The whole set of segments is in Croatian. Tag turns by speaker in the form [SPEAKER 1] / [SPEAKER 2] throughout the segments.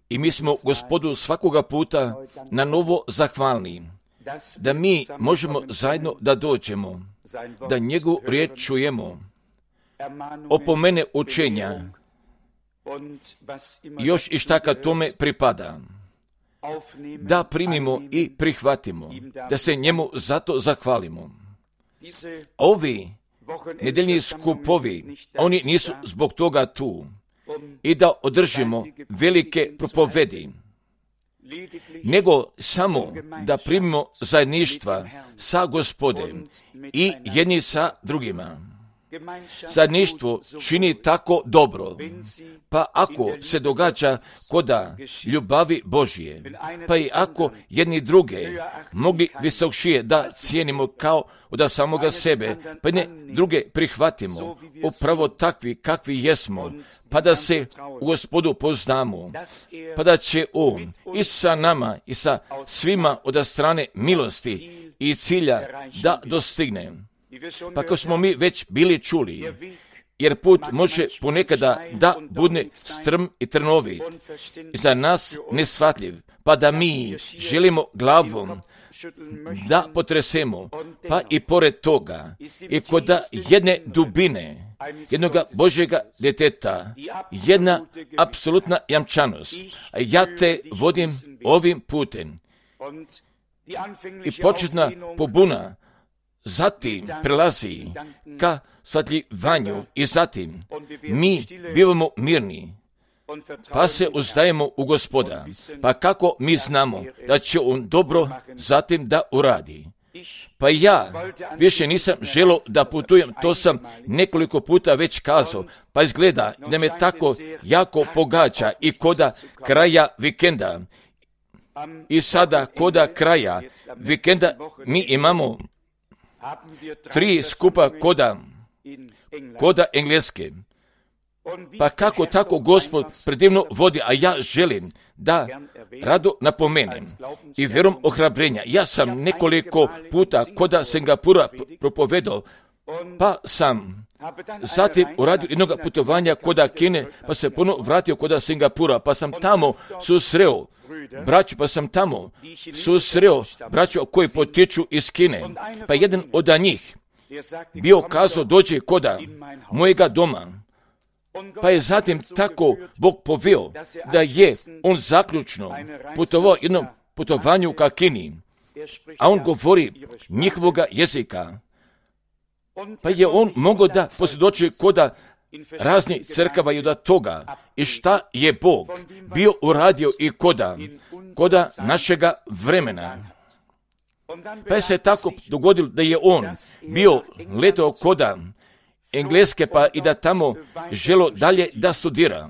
[SPEAKER 1] I mi smo Gospodu svakoga puta na novo zahvalni, da mi možemo zajedno da dođemo, da njegovu riječ čujemo, opomene učenja, još i šta kad tome pripada, da primimo i prihvatimo, da se njemu zato zahvalimo. Ovi nedeljni skupovi, oni nisu zbog toga tu i da održimo velike propovedi, nego samo da primimo zajedništva sa Gospodem i jedni sa drugima. Zajedništvo čini tako dobro, pa ako se događa koda ljubavi Božje, pa i ako jedni druge mogli visokšije da cijenimo kao od samoga sebe, pa ne druge prihvatimo, upravo takvi kakvi jesmo, pa da se u Gospodu poznamo, pa da će On i sa nama i sa svima od strane milosti i cilja da dostigne. Pa kao smo mi već bili čuli, jer put može ponekada da bude strm i trnovit, za nas neshvatljiv, pa da mi želimo glavom da potresemo, pa i pored toga, i kod jedne dubine, jednoga Božjega djeteta, jedna apsolutna jamčanost. A ja te vodim ovim putem. I početna pobuna zatim prelazi ka shvatljivanju i zatim mi bivamo mirni, pa se uzdajemo u Gospoda. Pa kako mi znamo da će On dobro zatim da uradi? Pa ja više nisam želio da putujem, to sam nekoliko puta već kazao, pa izgleda da me tako jako pogađa i koda kraja vikenda. I sada koda kraja vikenda mi imamo 3 skupa koda engleske. Pa kako tako Gospod predivno vodi, a ja želim da rado napomenem i vjerom ohrabrenja. Ja sam nekoliko puta koda Singapura propovedao, pa sam zatim uradio jednog putovanja koda Kine, pa se ponovno vratio koda Singapura, pa sam tamo susreo braću, pa sam tamo susreo braću koji potiču iz Kine, pa jedan od njih bio kazao dođe koda mojega doma, pa je zatim tako Bog poveo da je on zaključno putovao jednom putovanju ka Kini, a on govori njihovoga jezika, pa je on mogao da posvjedoči koda raznih crkava i od toga i šta je Bog bio uradio i koda našega vremena. Pa je se tako dogodilo da je on bio letao koda Engleske, pa i da tamo želo dalje da studira.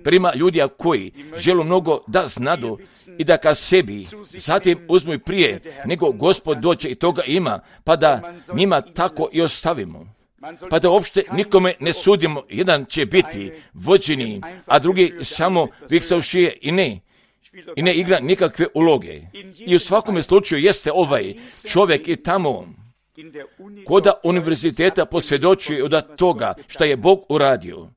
[SPEAKER 1] Prima ljudi koji želo mnogo da znadu i da ka sebi zatim uzmu i prije nego Gospod dođe i toga ima, pa da njima tako i ostavimo. Pa da uopšte nikome ne sudimo, jedan će biti vođeni, a drugi samo viksavšije i ne igra nikakve uloge. I u svakome slučaju jeste ovaj čovjek i tamo koda univerziteta posvjedočuje od toga što je Bog uradio.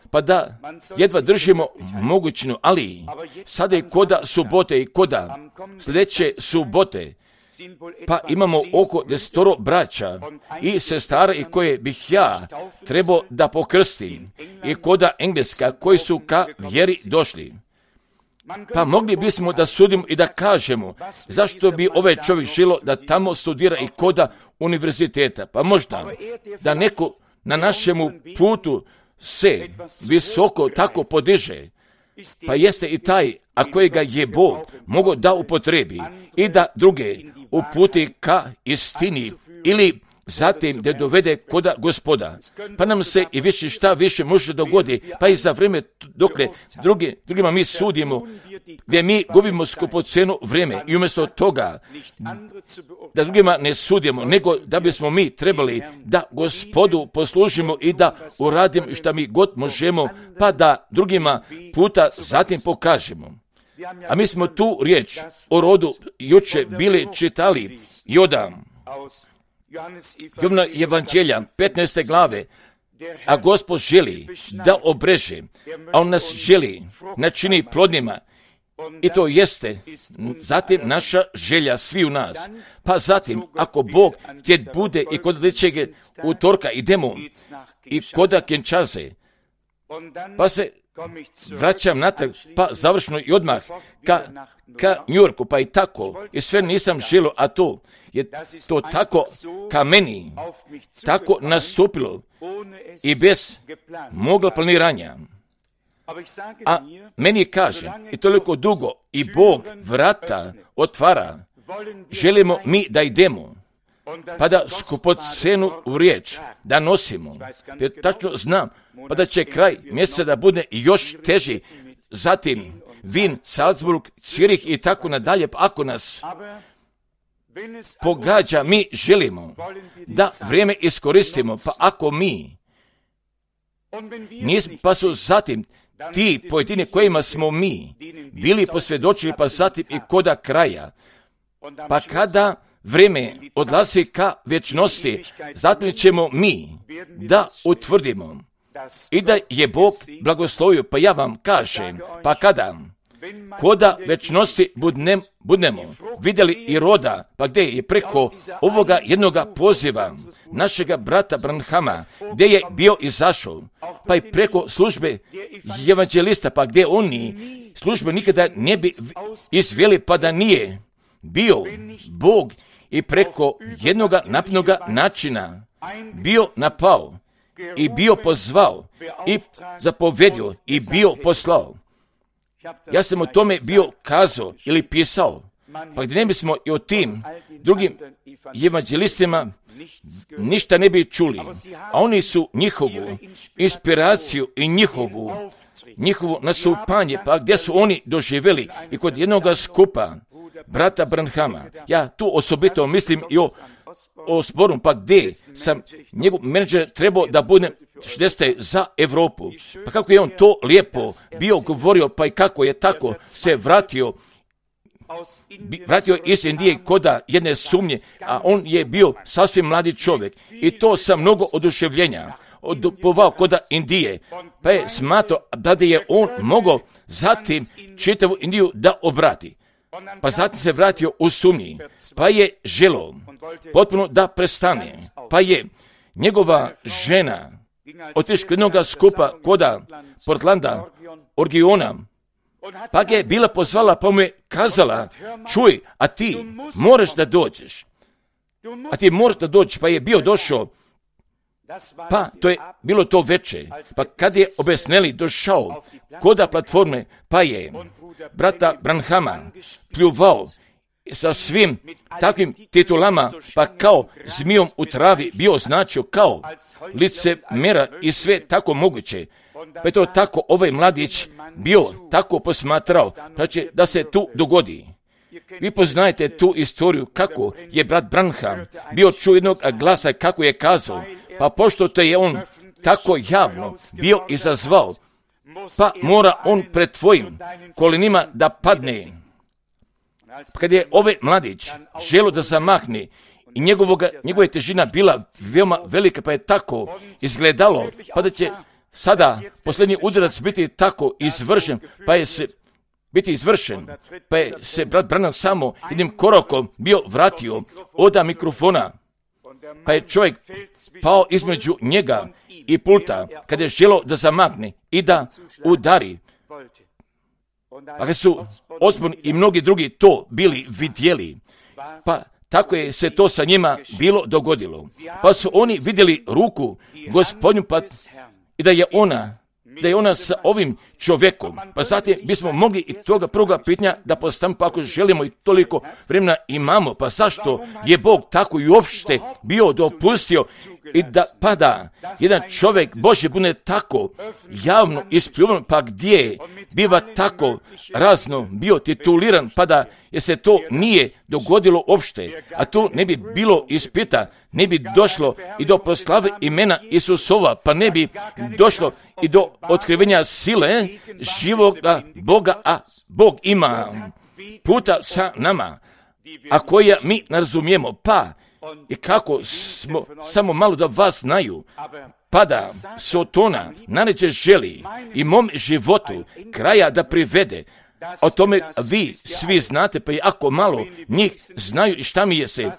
[SPEAKER 1] Pa da jedva držimo mogućinu, ali sada je koda subote i koda sljedeće subote, pa imamo oko 10 braća i sestara i koje bih ja trebao da pokrstim i koda Engleska koji su ka vjeri došli. Pa mogli bismo da sudimo i da kažemo zašto bi ovaj čovjek želio da tamo studira i koda univerziteta. Pa možda da neko na našemu putu se visoko tako podiže, pa jeste i taj, a kojega je Bog mogao da upotrebi i da druge uputi ka istini ili zatim da dovede koda Gospoda. Pa nam se i više šta više može dogodi, pa i za vrijeme dokle drugima mi sudimo, gdje mi gubimo skupoceno vrijeme i umjesto toga da drugima ne sudimo, nego da bismo mi trebali da Gospodu poslužimo i da uradimo šta mi god možemo, pa da drugima puta zatim pokažemo. A mi smo tu riječ o rodu juče bili čitali i od Jovna evanđelja 15. glave A Gospod želi da obreže, a On nas želi načini plodnima. I to jeste zatim naša želja svi u nas. Pa zatim, ako Bog gdje bude i kod ličeg utorka idemo i koda Kinshase, pa se vraćam natrag, pa završno i odmah ka New Yorku, pa i tako. I sve nisam želio, a to je to tako ka meni, tako nastupilo i bez moga planiranja. A meni kaže, i toliko dugo, i Bog vrata otvara, želimo mi da idemo, pa da skupocenu u riječ, da nosimo. Jer tačno znam, pa da će kraj mjeseca da bude još teži, zatim Wien, Salzburg, Zürich i tako nadalje, pa ako nas pogađa, mi želimo da vrijeme iskoristimo, pa ako mi nismo, pa su zatim ti pojedini kojima smo mi bili posvjedočili, pa zatim i koda kraja, pa kada vrijeme odlazi ka vječnosti, zatim ćemo mi da utvrdimo i da je Bog blagoslovio, pa ja vam kažem, pa kada koda večnosti budemo vidjeli i roda, pa gdje je preko ovoga jednoga poziva našega brata Branhama, gdje je bio izašao, pa i preko službe evanđelista, pa gdje oni službe nikada ne bi izveli, pa da nije bio Bog i preko jednoga napnoga načina bio napao i bio pozvao i zapovedio i bio poslao. Ja sam o tome bio kazao ili pisao, pa gdje ne bismo i o tim drugim evanđelistima ništa ne bi čuli, a oni su njihovu inspiraciju i njihovo nastupanje, pa gdje su oni doživjeli i kod jednoga skupa brata Branhama. Ja tu osobito mislim i o zboru, pa gdje sam njegov menadžer trebao da bude 60 za Europu. Pa kako je on to lijepo bio govorio, pa i kako je tako se vratio iz Indije koda jedne sumnje, a on je bio sasvim mladi čovjek. I to sa mnogo oduševljenja odupovao koda Indije. Pa je smatrao da je on mogao zatim čitavu Indiju da obrati. Pa zatim se vratio u sumnji, pa je želio potpuno da prestane, pa je njegova žena otišla jednoga skupa koda Portlanda, Orgiona, pa ga je bila pozvala, pa mu je kazala, čuj, a ti moraš da dođeš, pa je bio došao, pa to je bilo to veče, pa kad je obesneli došao koda platforme, pa je brata Branhama pljuvao sa svim takvim titulama, pa kao zmijom u travi bio označio kao licemera i sve tako moguće. Pa je to tako ovaj mladić bio tako posmatrao, pa će da se tu dogodi. Vi poznajete tu istoriju kako je brat Branham bio čuo jednog glasa kako je kazao, pa pošto te je on tako javno bio izazvao, pa mora on pred tvojim kolenima da padne. Kad je ovaj mladić želio da zamahne i njegova težina bila veoma velika, pa je tako izgledalo, pa da će sada posljednji udarac biti tako izvršen, pa je se brat Branham samo jednim korakom bio vratio od mikrofona, pa je čovjek pao između njega i pulta, kada je želio da zamahne i da udari. Pa kad su Osborne i mnogi drugi to bili vidjeli, pa tako je se to sa njima bilo dogodilo. Pa su oni vidjeli ruku Gospodnju, pa i da je ona sa ovim čovjekom. Pa zatim bismo mogli i toga prvoga pitanja da postavimo, pa ako želimo i toliko vremena imamo, pa zašto je Bog tako i uopšte bio dopustio i da pada jedan čovjek Božji bude tako javno ispljuvan, pa gdje biva tako razno bio tituliran, pa da je se to nije dogodilo uopšte, a tu ne bi bilo ispita, ne bi došlo i do proslave imena Isusova, pa ne bi došlo i do otkrivenja sile živoga Boga, a Bog ima puta sa nama, a koja mi ne razumijemo, pa I kako smo, samo malo da vas znaju, pa da Sotona naređe želi i mom životu kraja da privede. O tome vi svi znate, pa i ako malo njih znaju šta mi je se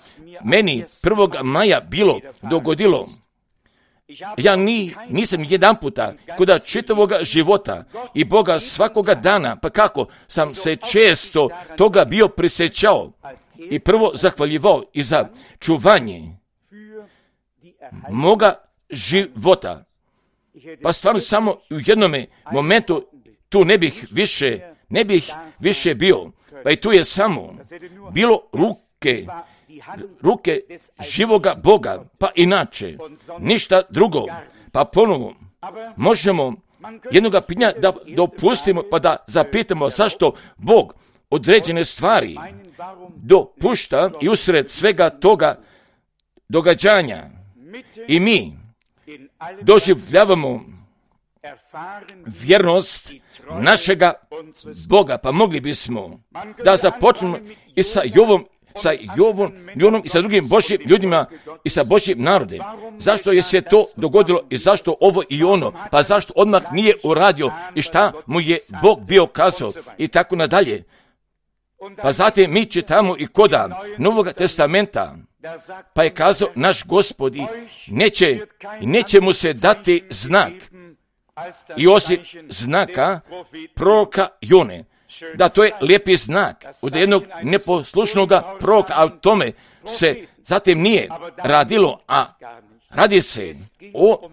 [SPEAKER 1] meni 1. maja bilo dogodilo. Ja nisam jedan puta kod čitavoga života i Boga svakoga dana, pa kako sam se često toga bio prisjećao i prvo zahvaljivao i za čuvanje moga života. Pa stvarno samo u jednome momentu tu ne bih više bio. Pa i tu je samo bilo ruke živoga Boga, pa inače ništa drugo. Pa ponovo možemo jednoga pitanja da dopustimo pa da zapitamo zašto Bog određene stvari dopušta i usred svega toga događanja i mi doživljavamo vjernost našega Boga. Pa mogli bismo da započnemo i sa Jovom i sa drugim Božjim ljudima i sa Božjim narodem. Zašto je se to dogodilo i zašto ovo i ono? Pa zašto odmah nije uradio i šta mu je Bog bio kazao i tako nadalje. Pa zatim mi čitamo i koda Novog testamenta, pa je kazao naš Gospod i neće mu se dati znak i osim znaka proroka Jone. Da, to je lijepi znak od jednog neposlušnog proroka, a o tome se zatim nije radilo, a radi se o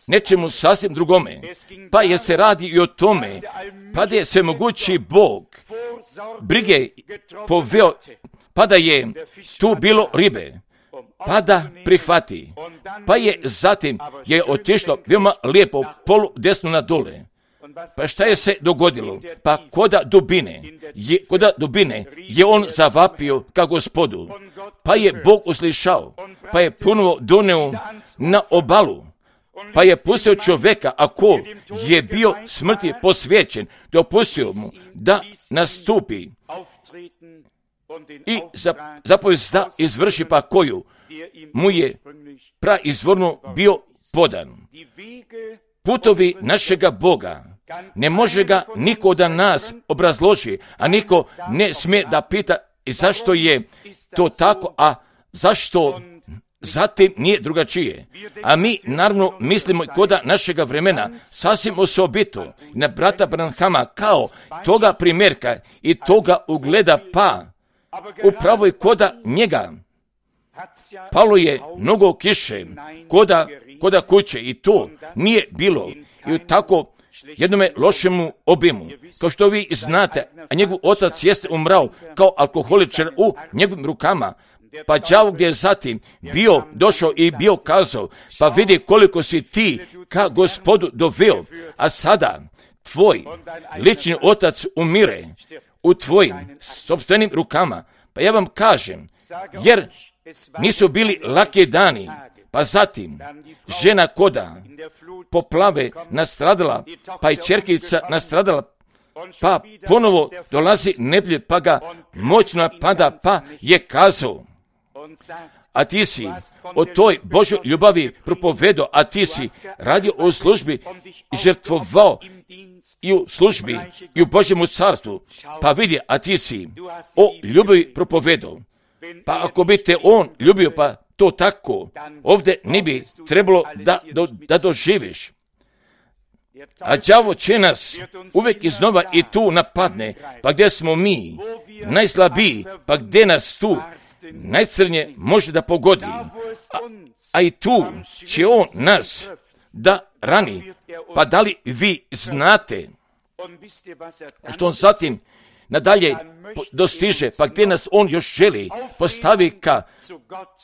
[SPEAKER 1] nečemu sasvim drugome. Pa je se radi i o tome, pa da je svemogući Bog brige poveo, pa da je tu bilo ribe, pa da prihvati. Pa je zatim otišlo veoma lijepo polu desno na dole. Pa šta je se dogodilo? Pa koda dubine je on zavapio ka Gospodu. Pa je Bog uslišao, pa je ponovo doneo na obalu. Pa je pustio čovjeka, ako je bio smrti posvećen, dopustio mu da nastupi i zapovijest da izvrši pa koju mu je praizvorno bio podan. Putovi našega Boga ne može ga niko od nas obrazloži, a niko ne smije da pita zašto je to tako, a zašto zatim nije drugačije. A mi naravno mislimo koda našega vremena sasvim osobito na brata Branhama kao toga primjerka i toga ugleda, pa upravo i koda njega palo je mnogo kiše koda kuće i to nije bilo i u tako jednome lošemu obimu. Kao što vi znate, a njegov otac jeste umrao kao alkoholičar u njegovim rukama. Pa đavo gdje je zatim bio došao i bio kazao, pa vidi koliko si ti ka Gospodu doveo, a sada tvoj lični otac umire u tvojim sopstvenim rukama. Pa ja vam kažem, jer nisu bili laki dani, pa zatim žena koda poplave nastradala, pa i ćerkica nastradala, pa ponovo dolazi neblje, pa ga moćno napada, pa je kazao, a ti si o toj Božoj ljubavi propovedao, a ti si radio u službi i žrtvovao i u službi i u Božjemu carstvu, pa vidi, a ti si o ljubavi propovedao. Pa ako bi te on ljubio, pa to tako ovdje ne bi trebalo da doživiš. A đavo će nas uvijek iznova i tu napadne, pa gdje smo mi najslabiji, pa gdje nas tu najcrnje može da pogodi. A i tu će on nas da rani. Pa da li vi znate što on zatim nadalje dostiže, pa gdje nas on još želi postavi ka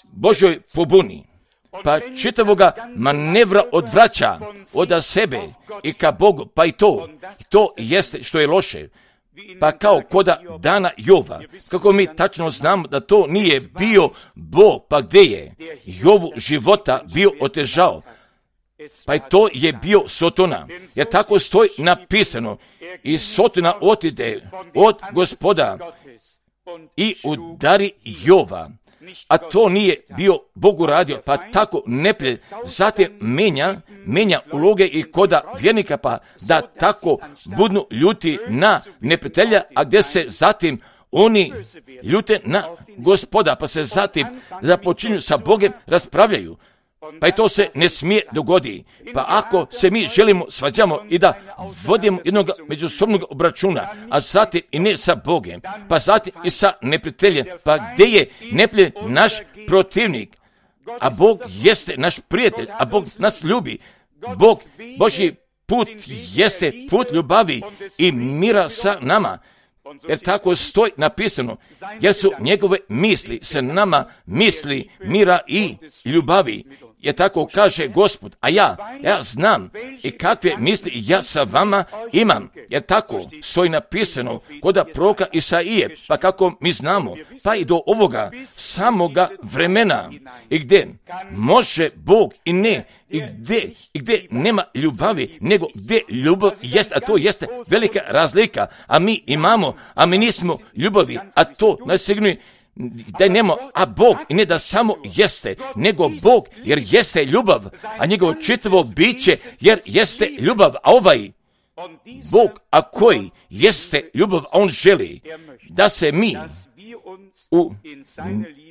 [SPEAKER 1] Božoj pobuni, pa čitavoga manevra odvraća od sebe i ka Bogu, pa i to jeste što je loše. Pa kao koda dana Jova, kako mi tačno znamo da to nije bio Bog, pa gdje je Jovu života bio otežao, pa i to je bio Sotona, jer tako stoji napisano, i Sotona otide od Gospoda i udari Jova, a to nije bio Bog uradio, pa tako neprijatelj zatim menja uloge i koda vjernika, pa da tako budnu ljuti na neprijatelja, a gdje se zatim oni ljute na Gospoda, pa se zatim započinju sa Bogom raspravljaju. Pa i to se ne smije dogoditi. Pa ako se mi želimo svađamo i da vodimo jednog međusobnog obračuna, a zatim i ne sa Bogom, pa zatim i sa neprijateljem, pa gdje je neprijatelj naš protivnik, a Bog jeste naš prijatelj, a Bog nas ljubi. Božji put jeste put ljubavi i mira sa nama. Jer tako stoji napisano, jer su njegove misli sa nama misli mira i ljubavi. Jer tako kaže Gospod, a ja znam i kakve misli ja sa vama imam. Jer tako stoji napisano kod proroka Isaije, pa kako mi znamo, pa i do ovoga samoga vremena, i gdje može Bog i ne, i gdje nema ljubavi, nego gdje ljubav jest, a to jeste velika razlika, a mi imamo, a mi nismo ljubavi, a to nas signuje da nema, a Bog i ne da samo jeste, nego Bog jer jeste ljubav, a njegovo čitavo biće jer jeste ljubav, a ovaj Bog, a koji jeste ljubav, a on želi da se mi u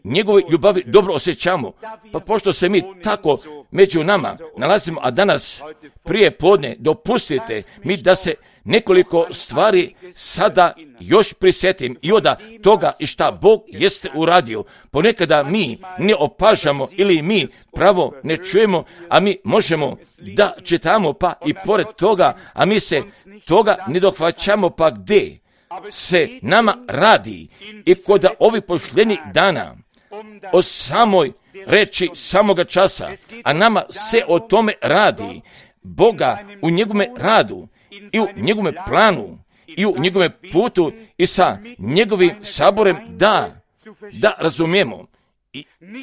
[SPEAKER 1] njegovoj ljubavi dobro osjećamo. Pa pošto se mi tako među nama nalazimo, a danas prije podne dopustite mi da se nekoliko stvari sada još prisjetim i od toga i šta Bog jeste uradio. Ponekada mi ne opažamo ili mi pravo ne čujemo, a mi možemo da čitamo pa i pored toga, a mi se toga ne dohvaćamo, pa gdje se nama radi i kod ovih posljednjih dana o samoj reči samoga časa, a nama se o tome radi. Boga u njegovome radu i u njegovome planu i u njegovome putu i sa njegovim saborem da razumijemo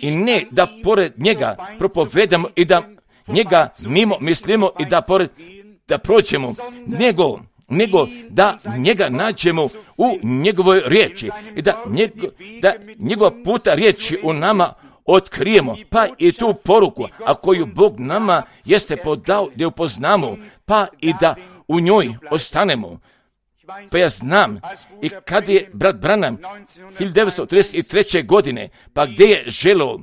[SPEAKER 1] i ne da pored njega propovedamo i da njega mimo mislimo i da prođemo, nego da njega nađemo u njegovoj riječi i da njegova puta riječi u nama otkrijemo, pa i tu poruku, a koju Bog nama jeste podao da upoznamo, pa i da u njoj ostanemo. Pa ja znam i kad je brat Branham 1933. godine, pa gdje je želio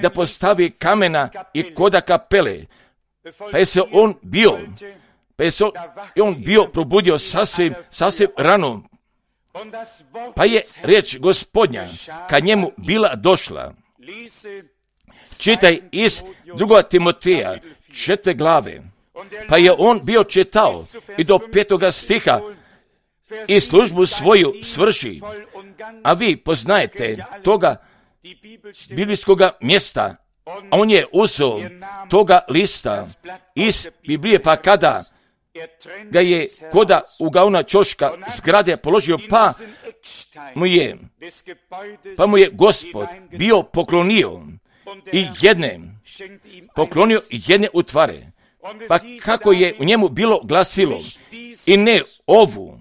[SPEAKER 1] da postavi kamena i koda kapele, pa je se on bio probudio sasvim rano, pa je riječ Gospodnja kad njemu bila došla. Čitaj iz 2. Timoteja 4. glave, pa je on bio čitao i do 5. stiha i službu svoju svrši, a vi poznajete toga biblijskoga mjesta, a on je uzeo toga lista iz Biblije, pa kada ga je koda ugaona čoška zgrade položio, pa mu je Gospod bio poklonio jedne utvare, pa kako je u njemu bilo glasilo i ne ovu,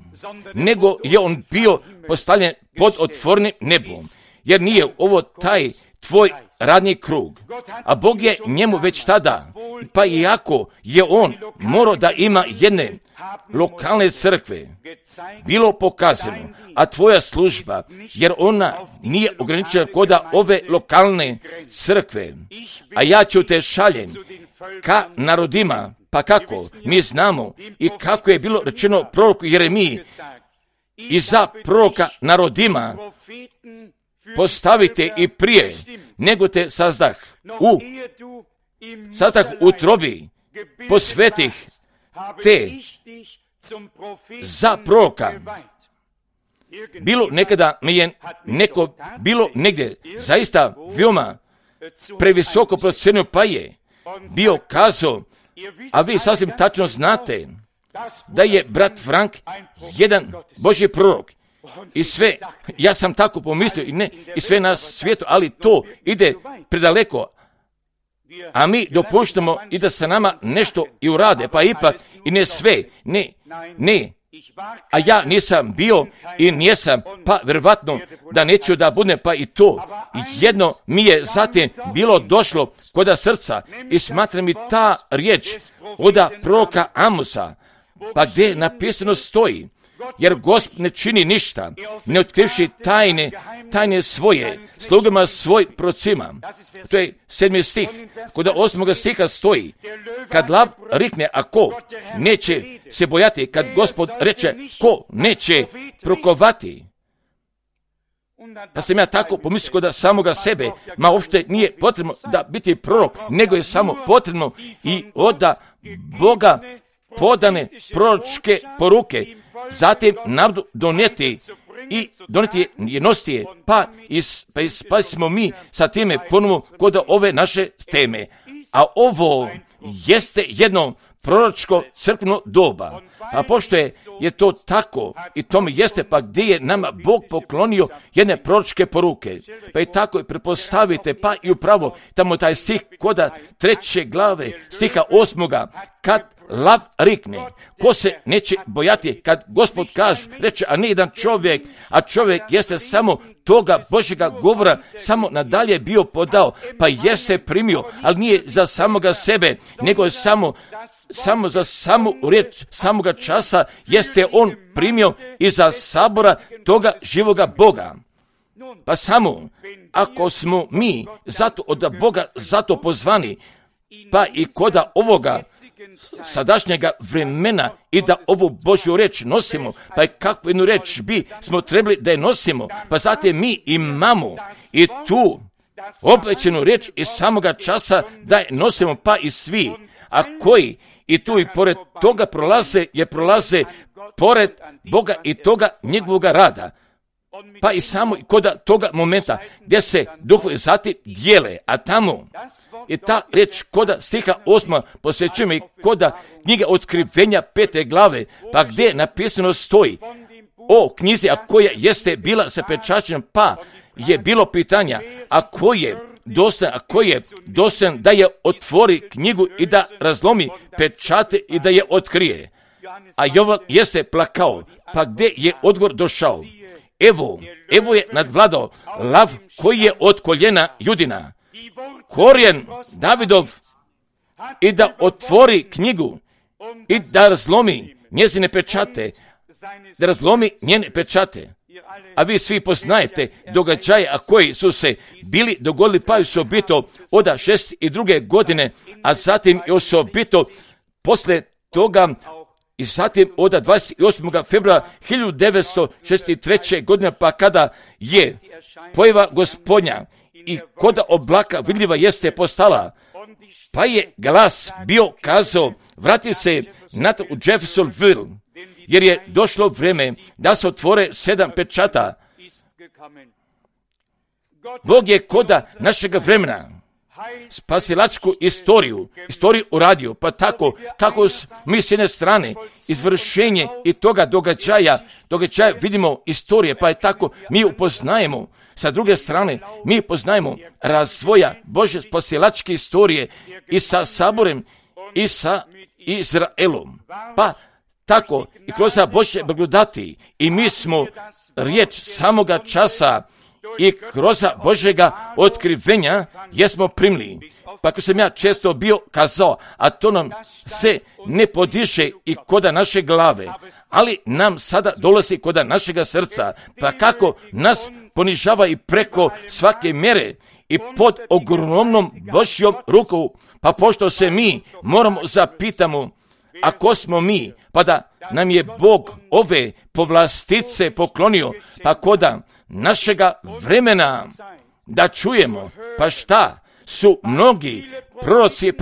[SPEAKER 1] nego je on bio postavljen pod otvorenim nebom, jer nije ovo taj tvoj radni krug, a Bog je njemu već tada, pa iako je on morao da ima jedne lokalne crkve, bilo pokazano, a tvoja služba, jer ona nije ograničena koda ove lokalne crkve, a ja ću te šaljem ka narodima, pa kako mi znamo i kako je bilo rečeno proroku Jeremiji, i za proroka narodima postavite i prije nego te sazdah u trobi, posvetih te za proroka. Bilo nekada mi je bilo negdje zaista veoma previsoko procenio, pa je bio kazao, a vi sasvim tačno znate da je brat Frank jedan Božji prorok. I sve, ja sam tako pomislio i sve na svijetu, ali to ide predaleko, a mi dopuštamo i da se nama nešto i urade, pa ipak i ne sve, ne, A ja nisam bio i nijesam, pa vjerovatno da neću da budem, pa i to. Jedno mi je zatim bilo došlo kod srca i smatra mi ta riječ od proroka Amosa, pa gdje napisano stoji, jer Gospod ne čini ništa, ne otkrivši tajne svoje, slugama svoj procima. To je 7. stih. Kod 8. stiha stoji, kad lav rikne, a ko neće se bojati, kad Gospod reče, ko neće prokovati. Pa sam ja tako pomislio kod samoga sebe, ma uopšte nije potrebno da biti prorok, nego je samo potrebno i od Boga podane proročke poruke, zatim narodu donijeti je nositi je, pa smo mi sa time ponovo kod ove naše teme. A ovo jeste jedno proročko crkveno doba. A pošto je to tako i tome jeste, pa gdje je nama Bog poklonio jedne proročke poruke. Pa i tako prepostavite, pa i upravo tamo taj stih kod 3. glave stiha 8. kad lav rikne, ko se neće bojati, kad Gospod kaže, reče, a ne jedan čovjek, a čovjek jeste samo toga Božjega govora, samo nadalje bio podao, pa jeste primio, ali nije za samoga sebe, nego je samo za samu riječ samoga časa jeste on primio iza sabora toga živoga Boga. Pa samo, ako smo mi zato od Boga zato pozvani, pa i koda ovoga sadašnjega vremena i da ovu Božju reč nosimo, pa i kakvu jednu reč bi smo trebali da je nosimo, pa zatim mi imamo i tu obećanu reč iz samoga časa da je nosimo, pa i svi, a koji i tu i pored toga prolaze pored Boga i toga njegovoga rada. Pa i samo kod toga momenta gdje se duhovi zatim dijele, a tamo je ta reč kod stiha 8. posvećujemo i kod knjige Otkrivenja 5. glave, pa gdje napisano stoji o knjizi, a koja jeste bila zapečaćena, pa je bilo pitanja, a ko je dostojan da je otvori knjigu i da razlomi pečate i da je otkrije. A Jovan jeste plakao, pa gdje je odgovor došao? Evo je nadvladao lav koji je od koljena Judina, korijen Davidov, i da otvori knjigu i da razlomi njezine pečate, njene pečate. A vi svi poznajete događaje, a koji su se bili dogodili, pa osobito od 62. godine, a zatim i osobito posle toga i zatim od 28. februara 1963. godine, pa kada je pojava Gospodnja i kod oblaka vidljiva jeste postala, pa je glas bio kazao, vrati se natrag u Jeffersonville, jer je došlo vrijeme da se otvore 7 pečata. Bog je koda našega vremena spasilačku istoriju uradio, pa tako mi s jedne strane izvršenje i toga događaja vidimo istorije, pa je tako mi upoznajemo, sa druge strane mi upoznajemo razvoja Božje spasilačke istorije i sa Saborem i sa Izraelom, pa tako i kroz Božje blagodati i mi smo riječ samoga časa i kroz Božjega otkrivenja jesmo primili. Pa ako sam ja često bio kazao, a to nam se ne podiše i koda naše glave, ali nam sada dolazi koda našega srca, pa kako nas ponižava i preko svake mjere i pod ogromnom Božjom rukom, pa pošto se mi moramo zapitamo, a ko smo mi, pa da nam je Bog ove povlastice poklonio, pa koda našega vremena da čujemo, pa šta su mnogi proroci,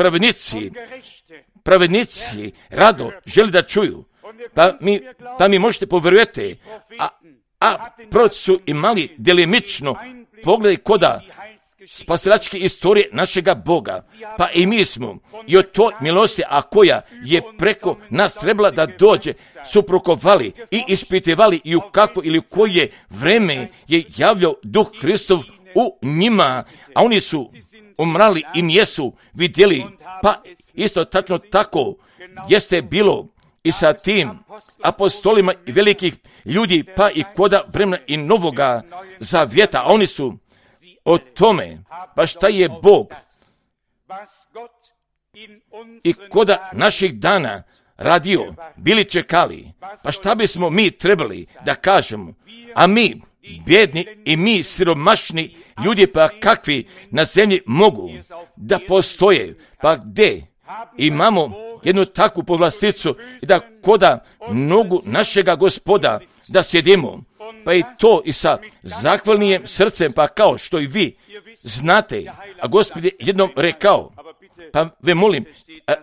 [SPEAKER 1] pravednici rado želi da čuju, pa mi možete povjerujete, a proroci su imali delimično pogled koda spasilačke istorije našega Boga, pa i mi smo i od toj milosti, a koja je preko nas trebala da dođe, su prokovali i ispitivali i u kakvo ili u koje vreme je javljao Duh Hristov u njima, a oni su umrali i nijesu vidjeli, pa isto tačno tako jeste bilo i sa tim apostolima i velikih ljudi, pa i koda vremena i Novoga Zavjeta, a oni su o tome, pa šta je Bog i koda naših dana radio, bili čekali, pa šta bismo mi trebali da kažemo, a mi bjedni i mi siromašni ljudi, pa kakvi na zemlji mogu da postoje, pa gde imamo jednu takvu povlasticu i da koda nogu našega Gospoda da sjedimo, pa i to i sa zahvalnim srcem, pa kao što i vi znate, a Gospod je jednom rekao, pa ve molim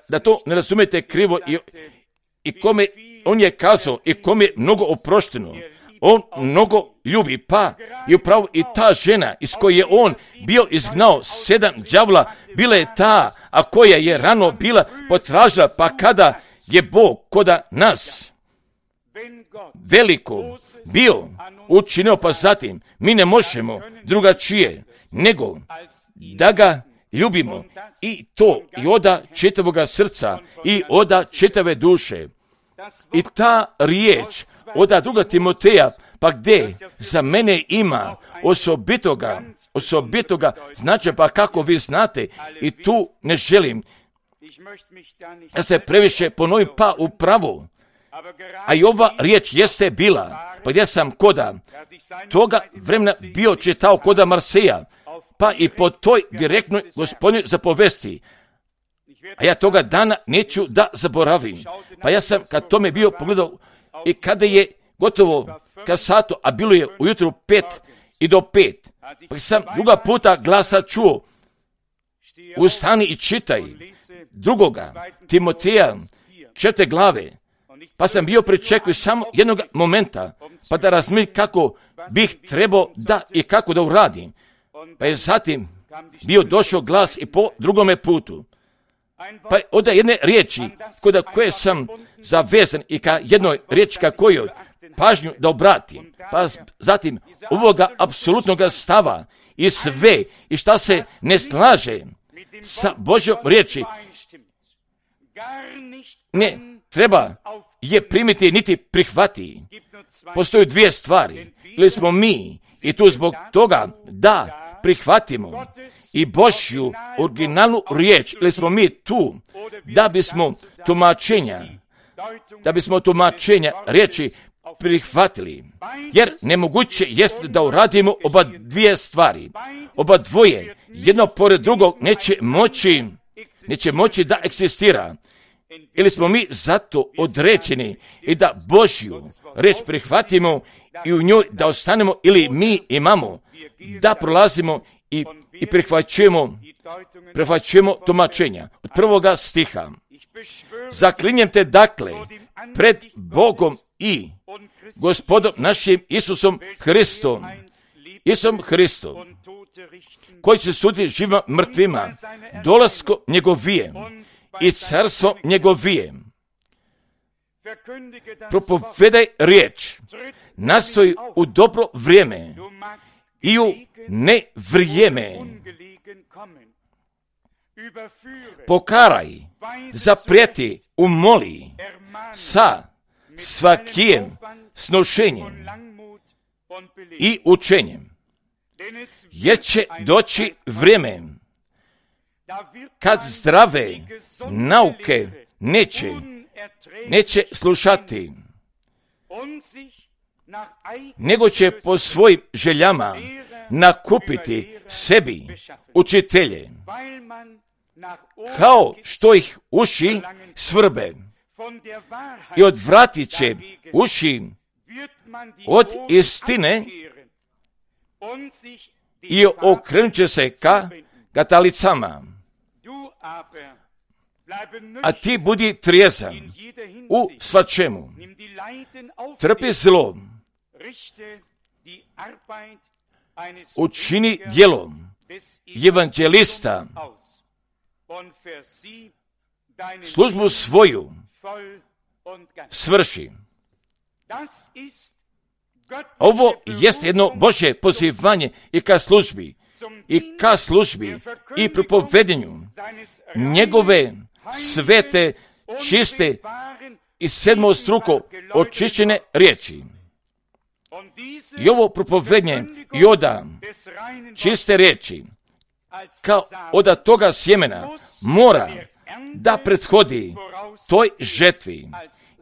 [SPEAKER 1] da to ne razumijete krivo, i kome on je kazao i kome je mnogo oprošteno, on mnogo ljubi, pa i upravo i ta žena iz koje je on bio izgnao 7 đavla, bila je ta, a koja je rano bila potražila, pa kada je Bog koda nas veliko bio učinio, pa zatim mi ne možemo drugačije nego da ga ljubimo, i to i oda čitavoga srca i oda čitave duše. I ta riječ oda 2. Timoteja, pa gdje za mene ima osobitoga značaja, pa kako vi znate, i tu ne želim da se previše ponovim, pa upravo, a i ova riječ jeste bila, pa gdje sam koda toga vremena bio čitao koda Marseja, pa i po toj direktnoj Gospodnjoj zapovesti, a ja toga dana neću da zaboravim. Pa ja sam kad tome bio pogledao i kada je gotovo ka satu, a bilo je ujutru 5 i do 5, pa sam druga puta glasa čuo, ustani i čitaj 2. Timoteja 4. glave, pa sam bio pričekao samo jednog momenta, pa da razmišljam kako bih trebao da i kako da uradim. Pa je zatim bio došao glas i po drugome putu. Pa od jedne riječi kod koje sam zavezan i ka jednoj riječi ka kojoj pažnju da obratim. Pa zatim ovoga apsolutnog stava i sve i šta se ne slaže sa Božjom riječi ne treba je primiti niti prihvati. Postoje 2 stvari. Ili smo mi i tu zbog toga da prihvatimo i Božju originalnu riječ, ili smo mi tu da bismo tumačenja riječi prihvatili, jer nemoguće jest da uradimo oba 2 stvari. Oba dvoje, jedno pored drugog, neće moći da egzistira. Ili smo mi zato određeni i da Božju riječ prihvatimo i u njoj da ostanemo, ili mi imamo da prolazimo i prihvaćujemo tumačenja. Od 1. stiha. Zaklinjem te dakle pred Bogom i Gospodom našim Isusom Hristom, koji će suditi živima mrtvima, dolasko njegovije i carstvo njegovije. Propovedaj riječ, nastoji u dobro vrijeme i u nevrijeme. Pokaraj, zaprijeti, umoli sa svakim snošenjem i učenjem, jer će doći vrijeme kad zdrave nauke neće slušati, nego će po svojim željama nakupiti sebi učitelje, kao što ih uši svrbe, i odvratit će uši od istine i okrenut će se ka katalicama. A ti budi trijezan u svačemu, trpi zlo, učini djelo evanđelista, službu svoju svrši. Ovo jest jedno Božje pozivanje i ka službi i propovedenju njegove svete, čiste i 7. struko očišćene riječi. I ovo propovednje i oda čiste riječi, kao od toga sjemena, mora da prethodi toj žetvi.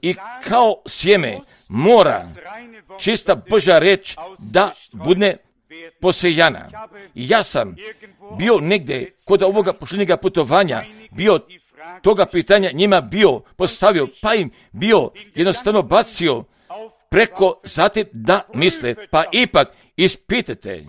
[SPEAKER 1] I kao sjeme mora čista Božja riječ da bude posejana. I ja sam bio negdje kod ovoga posljednjega putovanja, bio toga pitanja njima bio postavio, pa im bio jednostavno bacio preko zatim da misle, pa ipak ispitajte,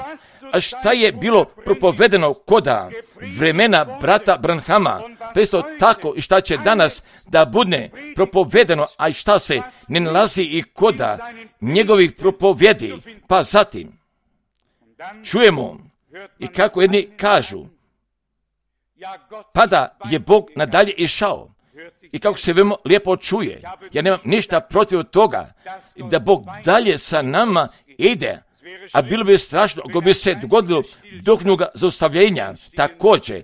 [SPEAKER 1] a šta je bilo propovedeno koda vremena brata Branhama, to isto tako i šta će danas da bude propovedeno, a i šta se ne nalazi i koda njegovih propovjedi, pa zatim čujemo i kako jedni kažu, pa da je Bog nadalje išao. I kako se veoma lijepo čuje, ja nemam ništa protiv toga da Bog dalje sa nama ide, a bilo bi strašno ako bi se dogodilo duhovnog zaustavljenja također.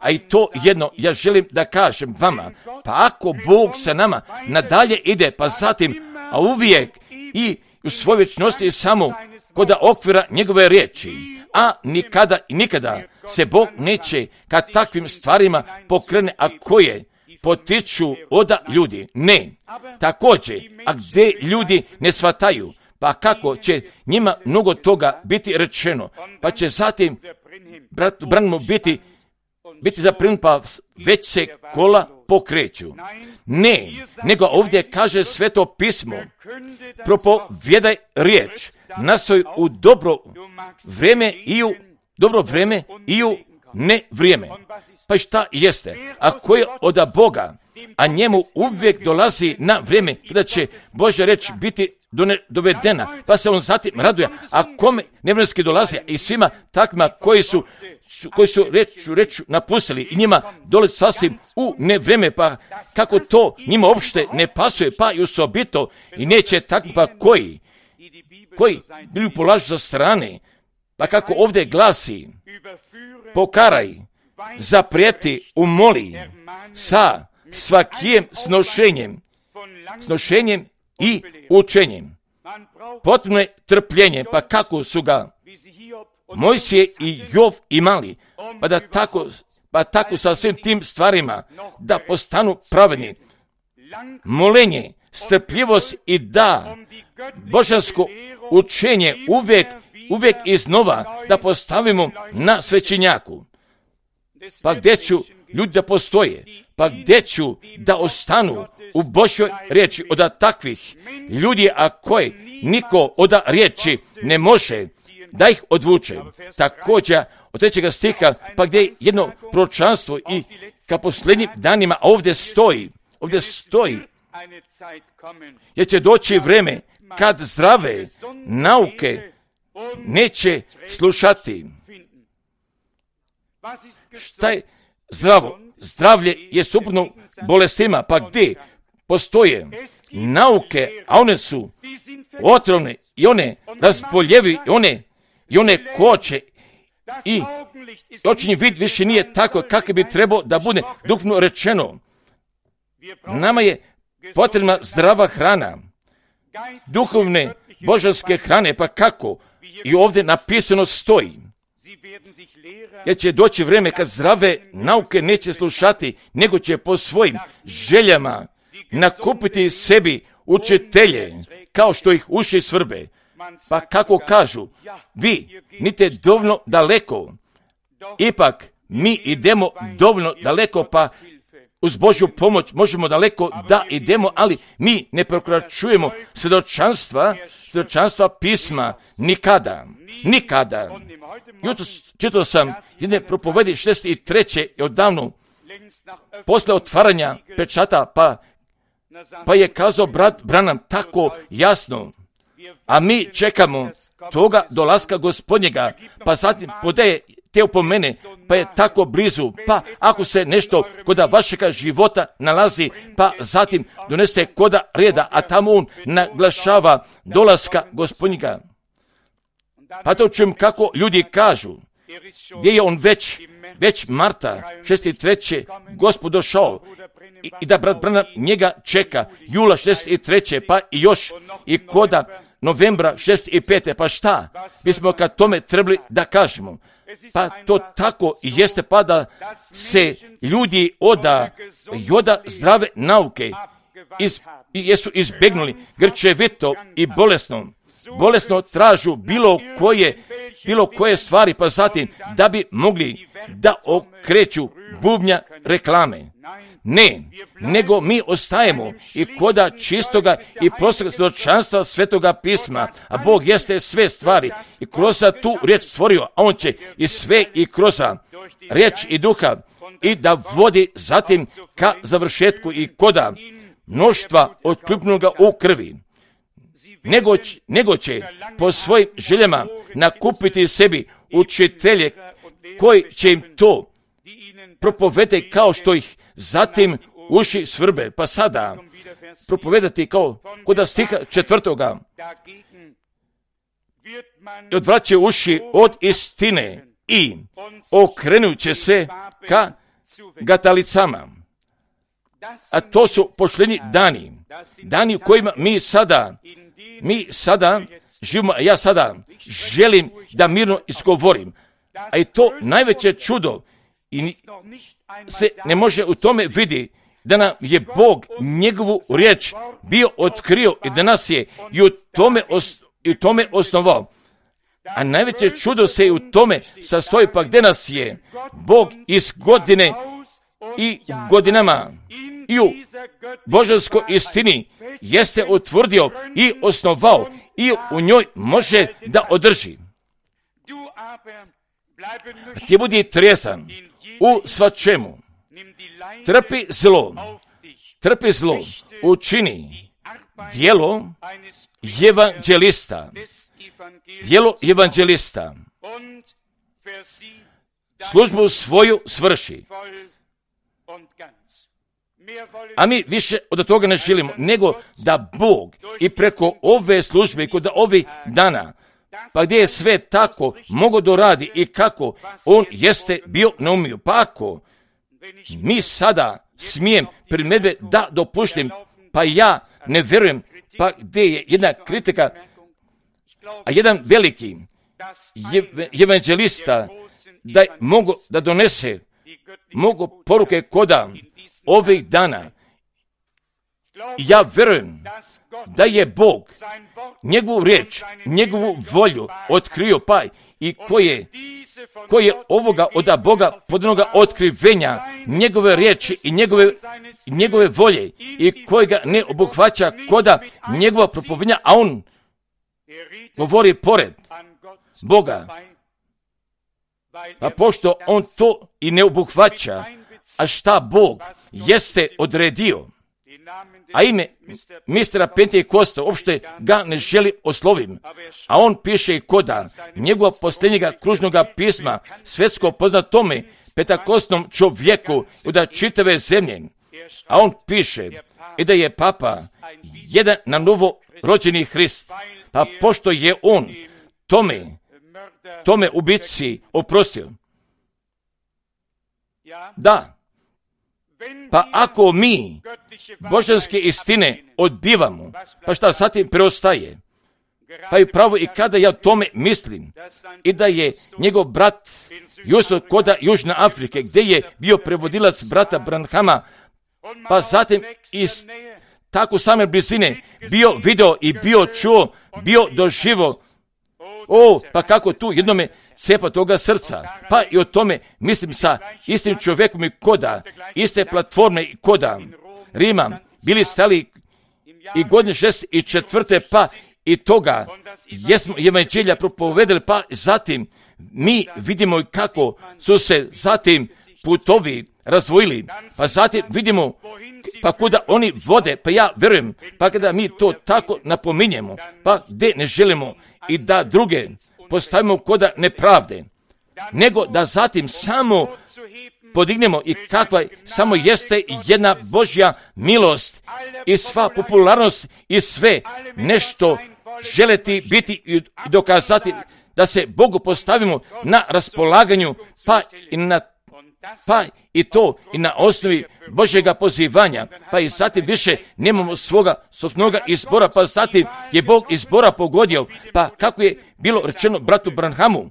[SPEAKER 1] A i to jedno ja želim da kažem vama, pa ako Bog sa nama nadalje ide, pa zatim, a uvijek i u svojoj vječnosti samo kod okvira njegove riječi, a nikada i nikada se Bog neće kad takvim stvarima pokrene, a koje potiču od ljudi. Ne. Također, a gdje ljudi ne shvataju, pa kako će njima mnogo toga biti rečeno, pa će zatim bratu Branhamu biti zaprinut, pa već se kola pokreću. Ne, nego ovdje kaže Sveto pismo, propovjedaj riječ, nastoj u dobro vrijeme i u ne vrijeme. Pa šta jeste? Ako je od Boga, a njemu uvijek dolazi na vrijeme kada će Božja riječ biti dovedena, pa se on zatim raduje, a kome nevremenski dolazi i svima takvima koji su reč napustili i njima dolazi sasvim u nevrijeme, pa kako to njima uopšte ne pasuje, pa i osobito i neće takvima koji bili polažu sa strane, pa kako ovdje glasi, pokaraj, zaprijeti, umoli sa svakim snošenjem i učenjem. Potrebno je trpljenje, pa kako su ga Mojsije i Jov imali, pa tako sa svim tim stvarima da postanu pravedni. Molenje, strpljivost i da božansko učenje uvijek iznova da postavimo na svećenjaku. Pa gdje ću ljudi da postoje, pa gdje ću da ostanu u Božjoj riječi od takvih ljudi, a koji niko od riječi ne može da ih odvuče. Također od 3. stiha, pa gdje je jedno proročanstvo i ka posljednjim danima ovdje stoji, jer će doći vrijeme kad zdrave nauke neće slušati. Šta je zdravo? Zdravlje je suprotno bolestima, pa gdje postoje nauke, a one su otrovne i one razboljevi i one koče i očinji vid više nije tako kako bi trebao da bude duhovno rečeno. Nama je potrebna zdrava hrana, duhovne božanske hrane, pa kako i ovdje napisano stoji. Jer će doći vrijeme kad zdrave nauke neće slušati, nego će po svojim željama nakupiti sebi učitelje, kao što ih uši svrbe. Pa kako kažu, vi nite dovoljno daleko, ipak mi idemo dovoljno daleko, pa uz Božju pomoć možemo daleko da idemo, ali mi ne prekračujemo svjedočanstva pisma nikada. Jutros čitao sam jedne propovedi 63. odavno, posle otvaranja pečata, pa je kazao brat Branham tako jasno, a mi čekamo toga dolaska Gospodnjega, pa zatim podaje te upomene, pa je tako blizu, pa ako se nešto kod vašega života nalazi, pa zatim doneste koda reda, a tamo on naglašava dolaska Gospodnjega. Pa to čujem kako ljudi kažu, gdje je on već marta 6.3. Gospod došao i da brat Branham njega čeka jula 63. pa i još i koda novembra 65. Pa šta bismo kad tome trebali da kažemo? Pa to tako i jeste, pa da se ljudi od zdrave nauke jesu izbegnuli grčevito i bolesno tražu bilo koje stvari, pa zatim da bi mogli da okreću bubnja reklame. Ne, nego mi ostajemo i koda čistoga i prostog svjedočanstva Svetoga pisma, a Bog jeste sve stvari i kroz tu riječ stvorio, a On će i sve i kroz riječ i duha i da vodi zatim ka završetku i koda mnoštva otključnoga u krvi. Nego će po svojim željama nakupiti sebi učitelje koji će im to propovedati kao što ih zatim uši svrbe. Pa sada propovedati kao kod stiha 4. I odvraćaju uši od istine i okrenuće se ka gatalicama. A to su pošljednji dani u kojima mi sada živimo, a ja sada želim da mirno izgovorim. A i to najveće čudo i se ne može u tome vidi da nam je Bog njegovu riječ bio otkrio i da nas je i u tome osnovao. A najveće čudo se u tome sastoji, pa gdje nas je Bog iz godine i godinama i u božanskoj istini jeste utvrdio i osnovao i u njoj može da održi. Ti budi tresan u svačemu. Trpi zlo, učini djelo evanđelista. Službu svoju svrši. A mi više od toga ne želimo, nego da Bog i preko ove službe i kod ovih dana, pa gdje je sve tako mogo doradi i kako On jeste bio naumio. Pa ako mi sada smijem primjedbe da dopuštim, pa ja ne vjerujem, pa gdje je jedna kritika, a jedan veliki evanđelista da mogu da donese mogu poruke koda ovih dana. Ja vjerujem da je Bog njegovu riječ, njegovu volju otkrio, pa i koje ovoga od Boga podanoga otkrivenja njegove riječi i njegove volje i kojega ne obuhvaća koda njegova propovednja, a on govori pored Boga. Pa pošto on to i ne obuhvaća, a šta Bog jeste odredio, a ime mistera Pentekosta uopšte ga ne želi oslovim, a on piše i koda njegova posljednjega kružnoga pisma svjetsko poznatome petakostnom čovjeku od čitave zemlje, a on piše i da je papa jedan na novo rođeni Hrist, pa pošto je on tome ubici oprostio. Da, pa ako mi božanske istine odbivamo, pa šta zatim preostaje? Pa i pravo i kada ja o tome mislim, i da je njegov brat Jusuf koda Južne Afrike, gdje je bio prevodilac brata Branhama, pa zatim iz tako same blizine bio video i bio čuo, bio doživo, pa kako tu jednome cepa toga srca. Pa i o tome mislim sa istim čovjekom i koda, iste platforme i koda Rima, bili stali i godine 64. pa i toga jesmo evanđelja propovedali, pa zatim mi vidimo kako su se zatim putovi razvojili, pa zatim vidimo pa kuda oni vode, pa ja vjerujem, pa kada mi to tako napominjemo, pa gdje ne želimo i da druge postavimo koda nepravde, nego da zatim samo podignemo i kakva samo jeste jedna Božja milost i sva popularnost i sve nešto želeti biti i dokazati da se Bogu postavimo na raspolaganju, pa i pa i to i na osnovi Božjega pozivanja, pa i zatim više nemamo svoga sopnoga izbora, pa zatim je Bog izbora pogodio, pa kako je bilo rečeno bratu Branhamu,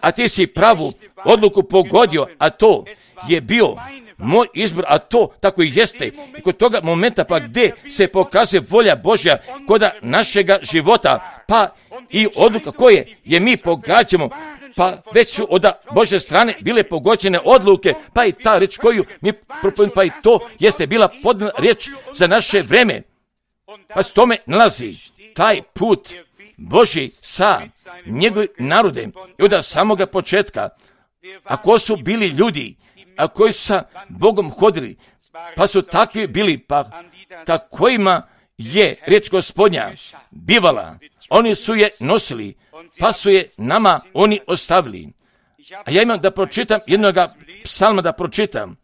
[SPEAKER 1] a ti si pravu odluku pogodio, a to je bio moj izbor, a to tako i jeste. I kod toga momenta pa gdje se pokazuje volja Božja kod našega života, pa i odluka koje je mi pogađamo, pa već su od Božje strane bile pogođene odluke, pa i ta reč koju mi propovedamo, pa i to jeste bila podana riječ za naše vreme. Pa s tome nalazi taj put Božji sa njegovim narodem i od samoga početka. A ko su bili ljudi, a koji su sa Bogom hodili, pa su takvi bili, pa kojima je riječ Gospodnja bivala, oni su je nosili, pa su je nama oni ostavili. A ja imam da pročitam jednoga psalma da pročitam.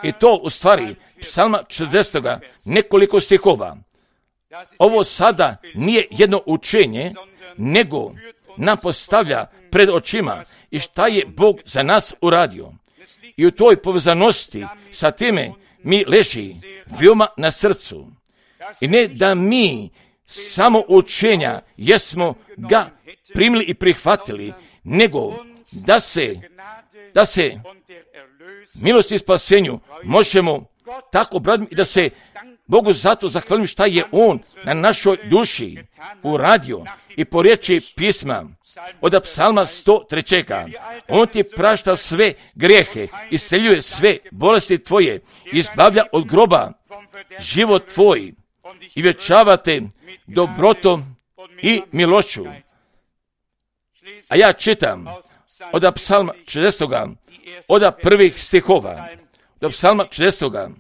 [SPEAKER 1] I to u stvari psalma 40. nekoliko stihova. Ovo sada nije jedno učenje, nego nam postavlja pred očima i šta je Bog za nas uradio. I u toj povezanosti sa time mi leži veoma na srcu. I ne da mi samo učenja jesmo ga primili i prihvatili, nego da se milosti i spasenju možemo tako obraditi i da se Bogu zato zahvalim šta je On na našoj duši uradio. I po riječi pisma od psalma 103. On ti prašta sve grijehe, isceljuje sve bolesti tvoje, izbavlja od groba život tvoj i vječavate dobrotom i milošću. A ja čitam od psalma 60. od prvih stihova, od psalma 60.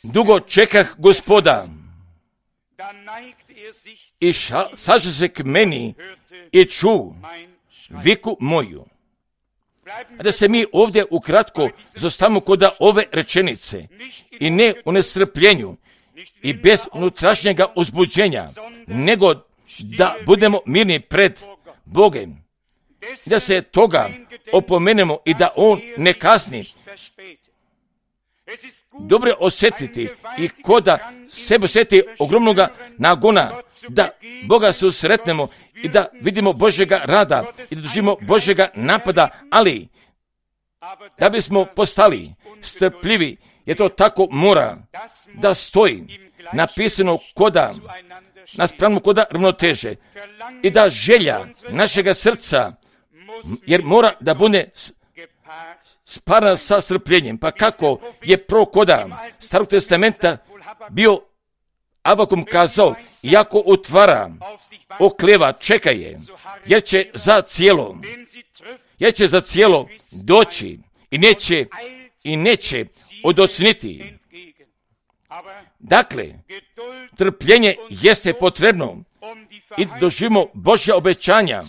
[SPEAKER 1] Dugo čekah Gospoda i saže se k meni i ču viku moju. A da se mi ovdje ukratko zostavimo kod ove rečenice i ne u nestrpljenju i bez unutrašnjega uzbuđenja, nego da budemo mirni pred Bogom. Da se toga opomenemo i da On ne kasni. Dobro je osjetiti i koda sebe osjeti ogromnoga nagona, da Boga susretnemo i da vidimo Božjega rada i da doživimo Božjega napada, ali da bismo postali strpljivi, je to tako mora da stoji napisano naspram koda ravnoteže i da želja našega srca, jer mora da bude sparana sa strpljenjem. Pa kako je koda Starog testamenta bio Avakum kazao, iako utvara, okleva, čeka je, jer će za cijelo doći i neće odocniti. Dakle, trpljenje jeste potrebno i doživimo Božja obećanja.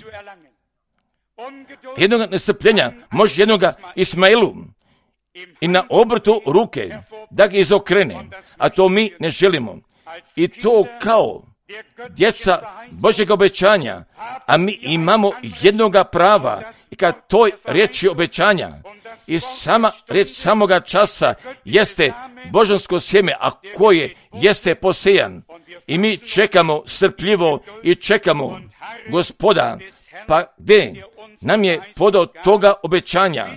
[SPEAKER 1] Jednoga nestrpljenja može jednoga Ismailu i na obrtu ruke da ga izokrene, a to mi ne želimo. I to kao djeca Božjega obećanja, a mi imamo jednoga prava i kad toj riječi obećanja i sama riječ samoga časa jeste božansko sjeme, a koje jeste posejan. I mi čekamo strpljivo i čekamo Gospoda, pa gdje nam je podao toga obećanja,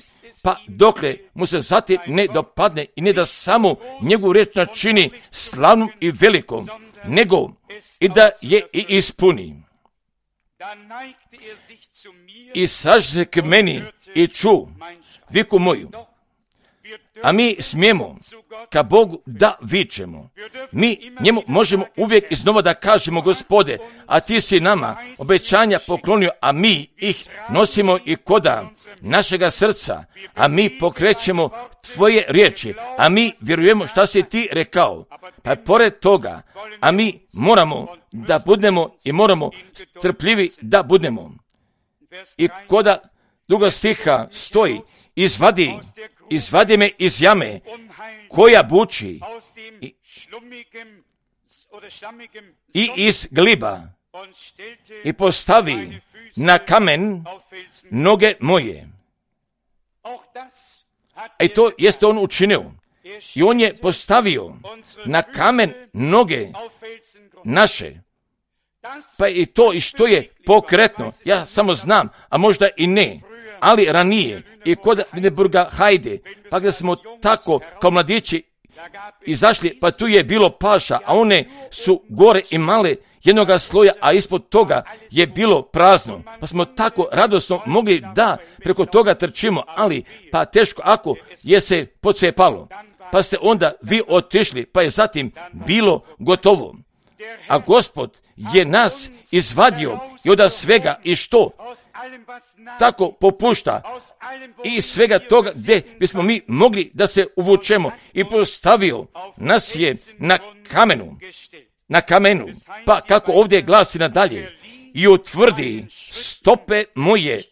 [SPEAKER 1] pa dokle mu se zatim ne dopadne i ne da samo njegovu riječ načini slavnom i velikom, nego i da je i ispuni. I saže se k meni i ču viku moju. A mi smijemo ka Bogu da vičemo. Mi njemu možemo uvijek iznova da kažemo, Gospode, a ti si nama obećanja poklonio, a mi ih nosimo i koda našega srca, a mi pokrećemo tvoje riječi, a mi vjerujemo šta si ti rekao. Pa pored toga, a mi moramo da budemo i moramo trpljivi da budemo. I koda druga stiha stoji, izvadi me iz jame koja buči i iz gliba i postavi na kamen noge moje. I to jeste on učinio. I on je postavio na kamen noge naše. Pa i to i što je pokretno, ja samo znam, a možda i ne, ali ranije i kod Wittenberga Hajde, pa gdje smo tako kao mladići izašli, pa tu je bilo paša, a one su gore imale jednoga sloja, a ispod toga je bilo prazno. Pa smo tako radosno mogli da preko toga trčimo, ali pa teško ako je se pocepalo. Pa ste onda vi otišli, pa je zatim bilo gotovo. A Gospod je nas izvadio i od svega i što tako popušta i svega toga gdje bismo mi mogli da se uvučemo i postavio nas je na kamenu, pa kako ovdje glasi nadalje, i utvrdi stope moje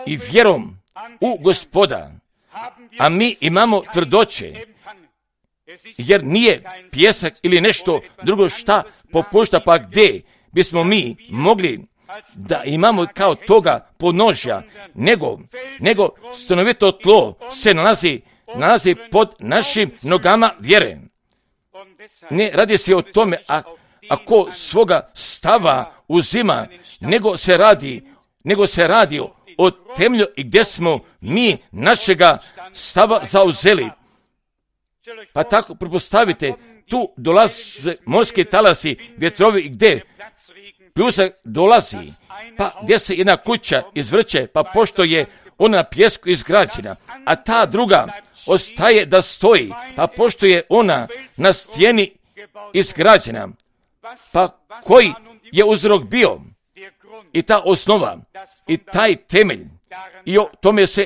[SPEAKER 1] i vjerom u Gospoda, a mi imamo tvrdoće, jer nije pjesak ili nešto drugo šta popušta, pa gdje bismo mi mogli da imamo kao toga podnožja, nego stanovito tlo se nalazi pod našim nogama vjere. Ne radi se o tome ako svoga stava uzima, nego se radi o temelju i gdje smo mi našega stava zauzeli. Pa tako pretpostavite, tu dolaze morski talasi, vjetrovi i gdje pljusak dolazi, pa gdje se jedna kuća izvrće, pa pošto je ona na pjesku izgrađena, a ta druga ostaje da stoji, pa pošto je ona na stijeni izgrađena, pa koji je uzrok bio i ta osnova i taj temelj, i o tome se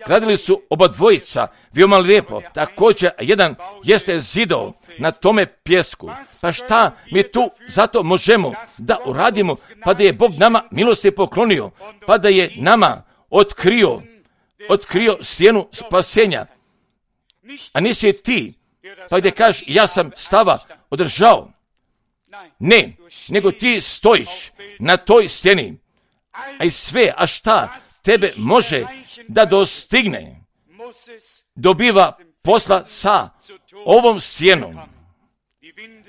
[SPEAKER 1] radili su oba dvojica, veoma lijepo, također jedan jeste zidao na tome pjesku. Pa šta mi tu zato možemo da uradimo, pa da je Bog nama milosti poklonio, pa da je nama otkrio stijenu spasenja, a nisi ti, pa gdje kažeš ja sam stava održao. Ne, nego ti stojiš na toj stijeni, a i sve, a šta tebe može da dostigne, dobiva posla sa ovom stjenom.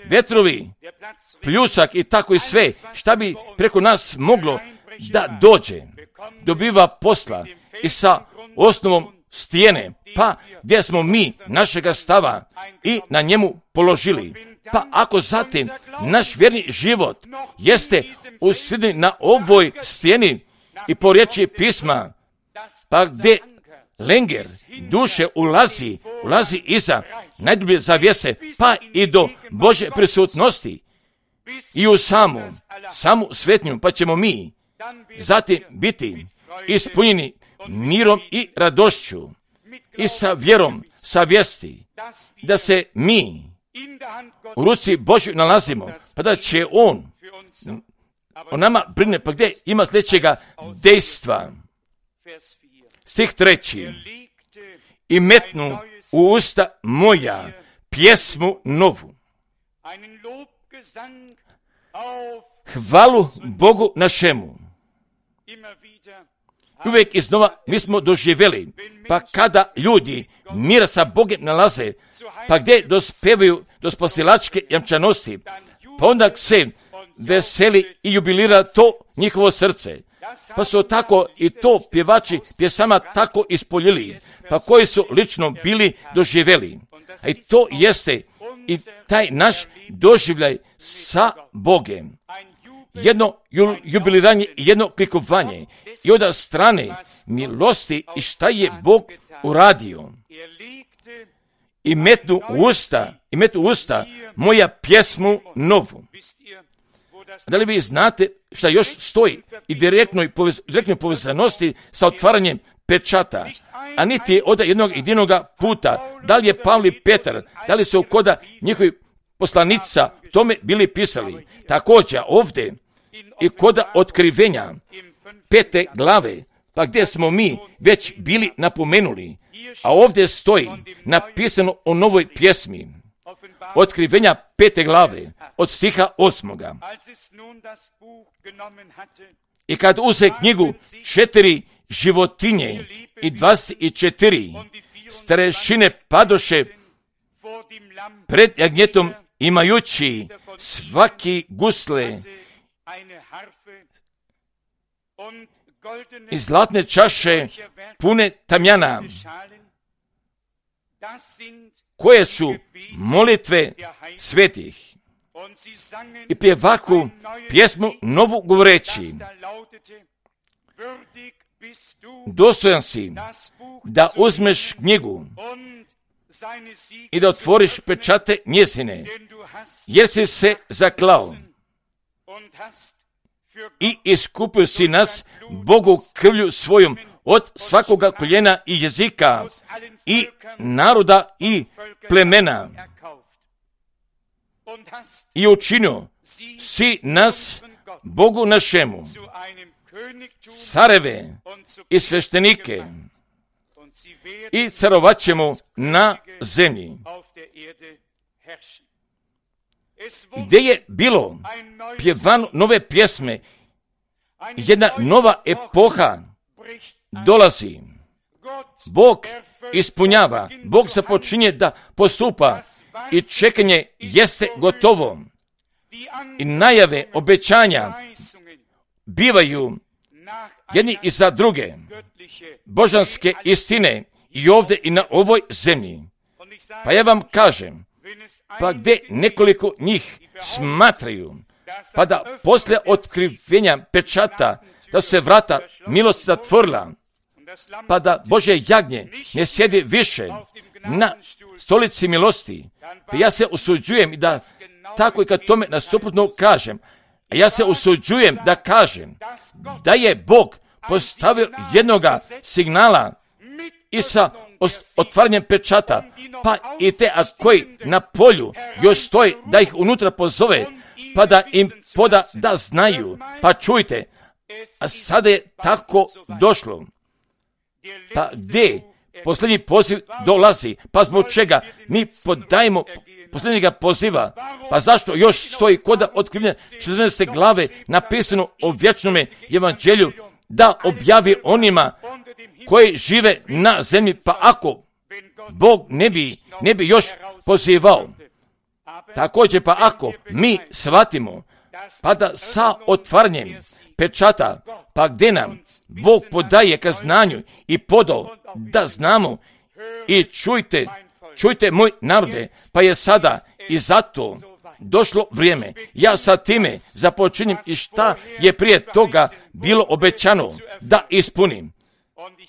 [SPEAKER 1] Vetrovi, pljusak i tako i sve, šta bi preko nas moglo da dođe, dobiva posla i sa osnovom stijene, pa gdje smo mi našega stava i na njemu položili. Pa ako zatim naš vjerni život jeste usređen na ovoj stijeni i po riječi pisma, pa gdje lenger duše ulazi iza najdublje zavjese, pa i do Božje prisutnosti i u samu svetnju, pa ćemo mi zatim biti ispunjeni mirom i radošću i sa vjerom, sa vijesti, da se mi u ruci Božju nalazimo, pa da će On o nama brine, pa gdje ima sljedećega dejstva. Stih 3. I metnu u usta moja pjesmu novu. Hvalu Bogu našemu. Uvijek iznova mi smo doživjeli, pa kada ljudi mira sa Bogom nalaze, pa gdje dospevaju do spasilačke jamčanosti, pa onda se veseli i jubilira to njihovo srce. Pa su tako i to pjevači pjesama tako ispoljili, pa koji su lično bili doživjeli. A i to jeste i taj naš doživljaj sa Bogem. Jedno jubiliranje i jedno klikovanje i od strane milosti i šta je Bog uradio. I metnu u usta moja pjesmu novu. Da li vi znate šta još stoji i direktnoj povezanosti sa otvaranjem pečata, a niti od jednog jedinoga puta, da li je Pavli Petar, da li su koda njihovi poslanica tome bili pisali. Također ovdje i koda otkrivenja 5. glave, pa gdje smo mi već bili napomenuli, a ovdje stoji napisano o novoj pjesmi. Otkrivenja 5. glave, od stiha 8. I kad uze knjigu 4 životinje i 24 starešine padoše pred jagnjetom, imajući svaki gusle i zlatne čaše pune tamjana, koje su molitve svetih. I pjevaku pjesmu novu govoreći: dostojan si da uzmeš knjigu i da otvoriš pečate njezine, jer si se zaklao i iskupio si nas Bogu krvlju svojom od svakoga koljena i jezika i naroda i plemena, i učinio si nas Bogu našemu careve i sveštenike, i carovat ćemo na zemlji. Gdje je bilo pjevano nove pjesme, jedna nova epoha dolazi. Bog ispunjava, Bog započinje da postupa i čekanje jeste gotovo. I najave obećanja bivaju jedni i za druge, božanske istine i ovdje i na ovoj zemlji. Pa ja vam kažem, pa gdje nekoliko njih smatraju, pa da poslije otkrivenja pečata, da se vrata milosti zatvorila, pa da Božje jagnje ne sjedi više na stolici milosti, pa ja se usuđujem da tako i kad tome nastupno kažem, a ja se usuđujem da kažem da je Bog postavio jednoga signala i sa otvaranjem pečata, pa i te koji na polju još stoji, da ih unutra pozove, pa da im poda da znaju. Pa čujte, a sada je tako došlo. Pa gdje posljednji poziv dolazi? Pa zbog čega mi podajemo posljednjega poziva? Pa zašto još stoji koda otkrivenja 14. glave napisano o vječnome evanđelju, da objavi onima koji žive na zemlji? Pa ako Bog ne bi još pozivao, također pa ako mi shvatimo, pa da sa otvaranjem pečata, pa gdje nam Bog podaje ka znanju i podao da znamo, i čujte moj narode, pa je sada i zato došlo vrijeme. Ja sa time započinjem i šta je prije toga bilo obećano da ispunim.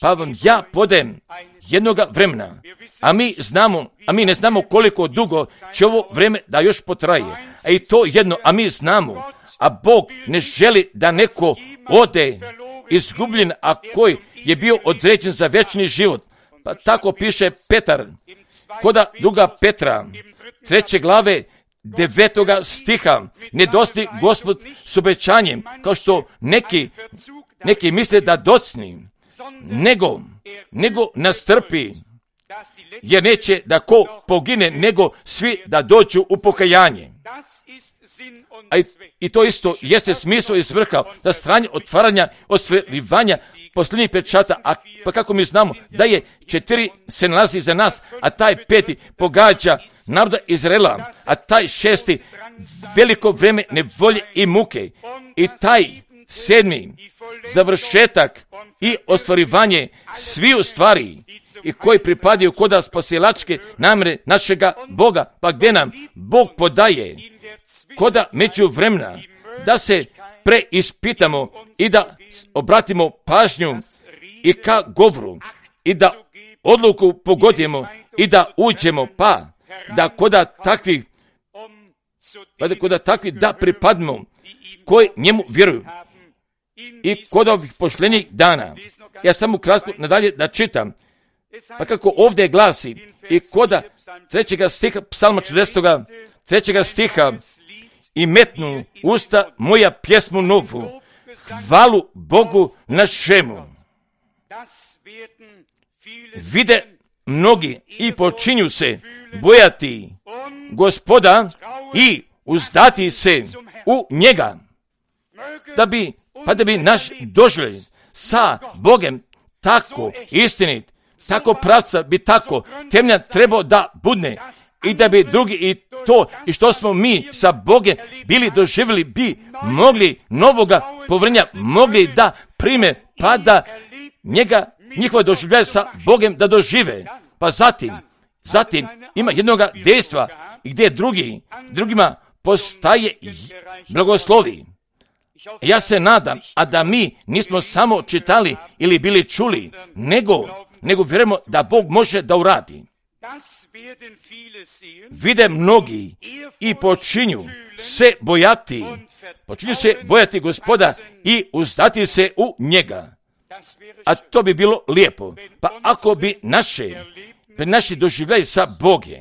[SPEAKER 1] Pa vam ja podajem jednoga vremena, a mi ne znamo koliko dugo će ovo vrijeme da još potraje. A i to jedno, a mi znamo, a Bog ne želi da neko ode izgubljen, a koji je bio određen za vječni život. Pa tako piše Petar, koda 2. Petra, 3. glave, 9. stiha, ne dosti Gospod s obećanjem, kao što neki misle da docni, nego nastrpi, jer neće da ko pogine, nego svi da dođu u pokajanje. I to isto jeste smisao i svrha, da stranje otvaranja, ostvarivanja posljednjih pečata, a pa kako mi znamo da je 4 se nalazi za nas, a taj 5 pogađa naroda Izraela, a taj 6 veliko vreme nevolje i muke, i taj 7 završetak i ostvarivanje sviju stvari i koji pripadaju koda spasilačke namjere našega Boga, pa gdje nam Bog podaje koda među vremena da se preispitamo i da obratimo pažnju i ka govoru i da odluku pogodimo i da uđemo, pa da koda takvi da pripadimo koji njemu vjeruju i kod ovih pošljenih dana. Ja samo kratko nadalje da čitam, pa kako ovdje glasi i koda 3. stiha psalma 40. 3. stiha: i metnu usta moja pjesmu novu, hvalu Bogu našemu. Vide mnogi i počinju se bojati Gospoda i uzdati se u njega, da bi naš doživljaj sa Bogem tako istinit, tako pravca bi tako temelja trebao da budne i da bi drugi i to i što smo mi sa Bogem bili doživjeli bi mogli novoga povrnja, mogli da prime pa da njihova doživljaja sa Bogem da dožive. Pa zatim ima jednoga dejstva gdje drugima postaje blagoslovi. Ja se nadam, a da mi nismo samo čitali ili bili čuli, nego vjerujemo da Bog može da uradi. Vide mnogi i počinju se bojati Gospoda i uzdati se u njega. A to bi bilo lijepo. Pa ako bi naši doživljaji sa Bogom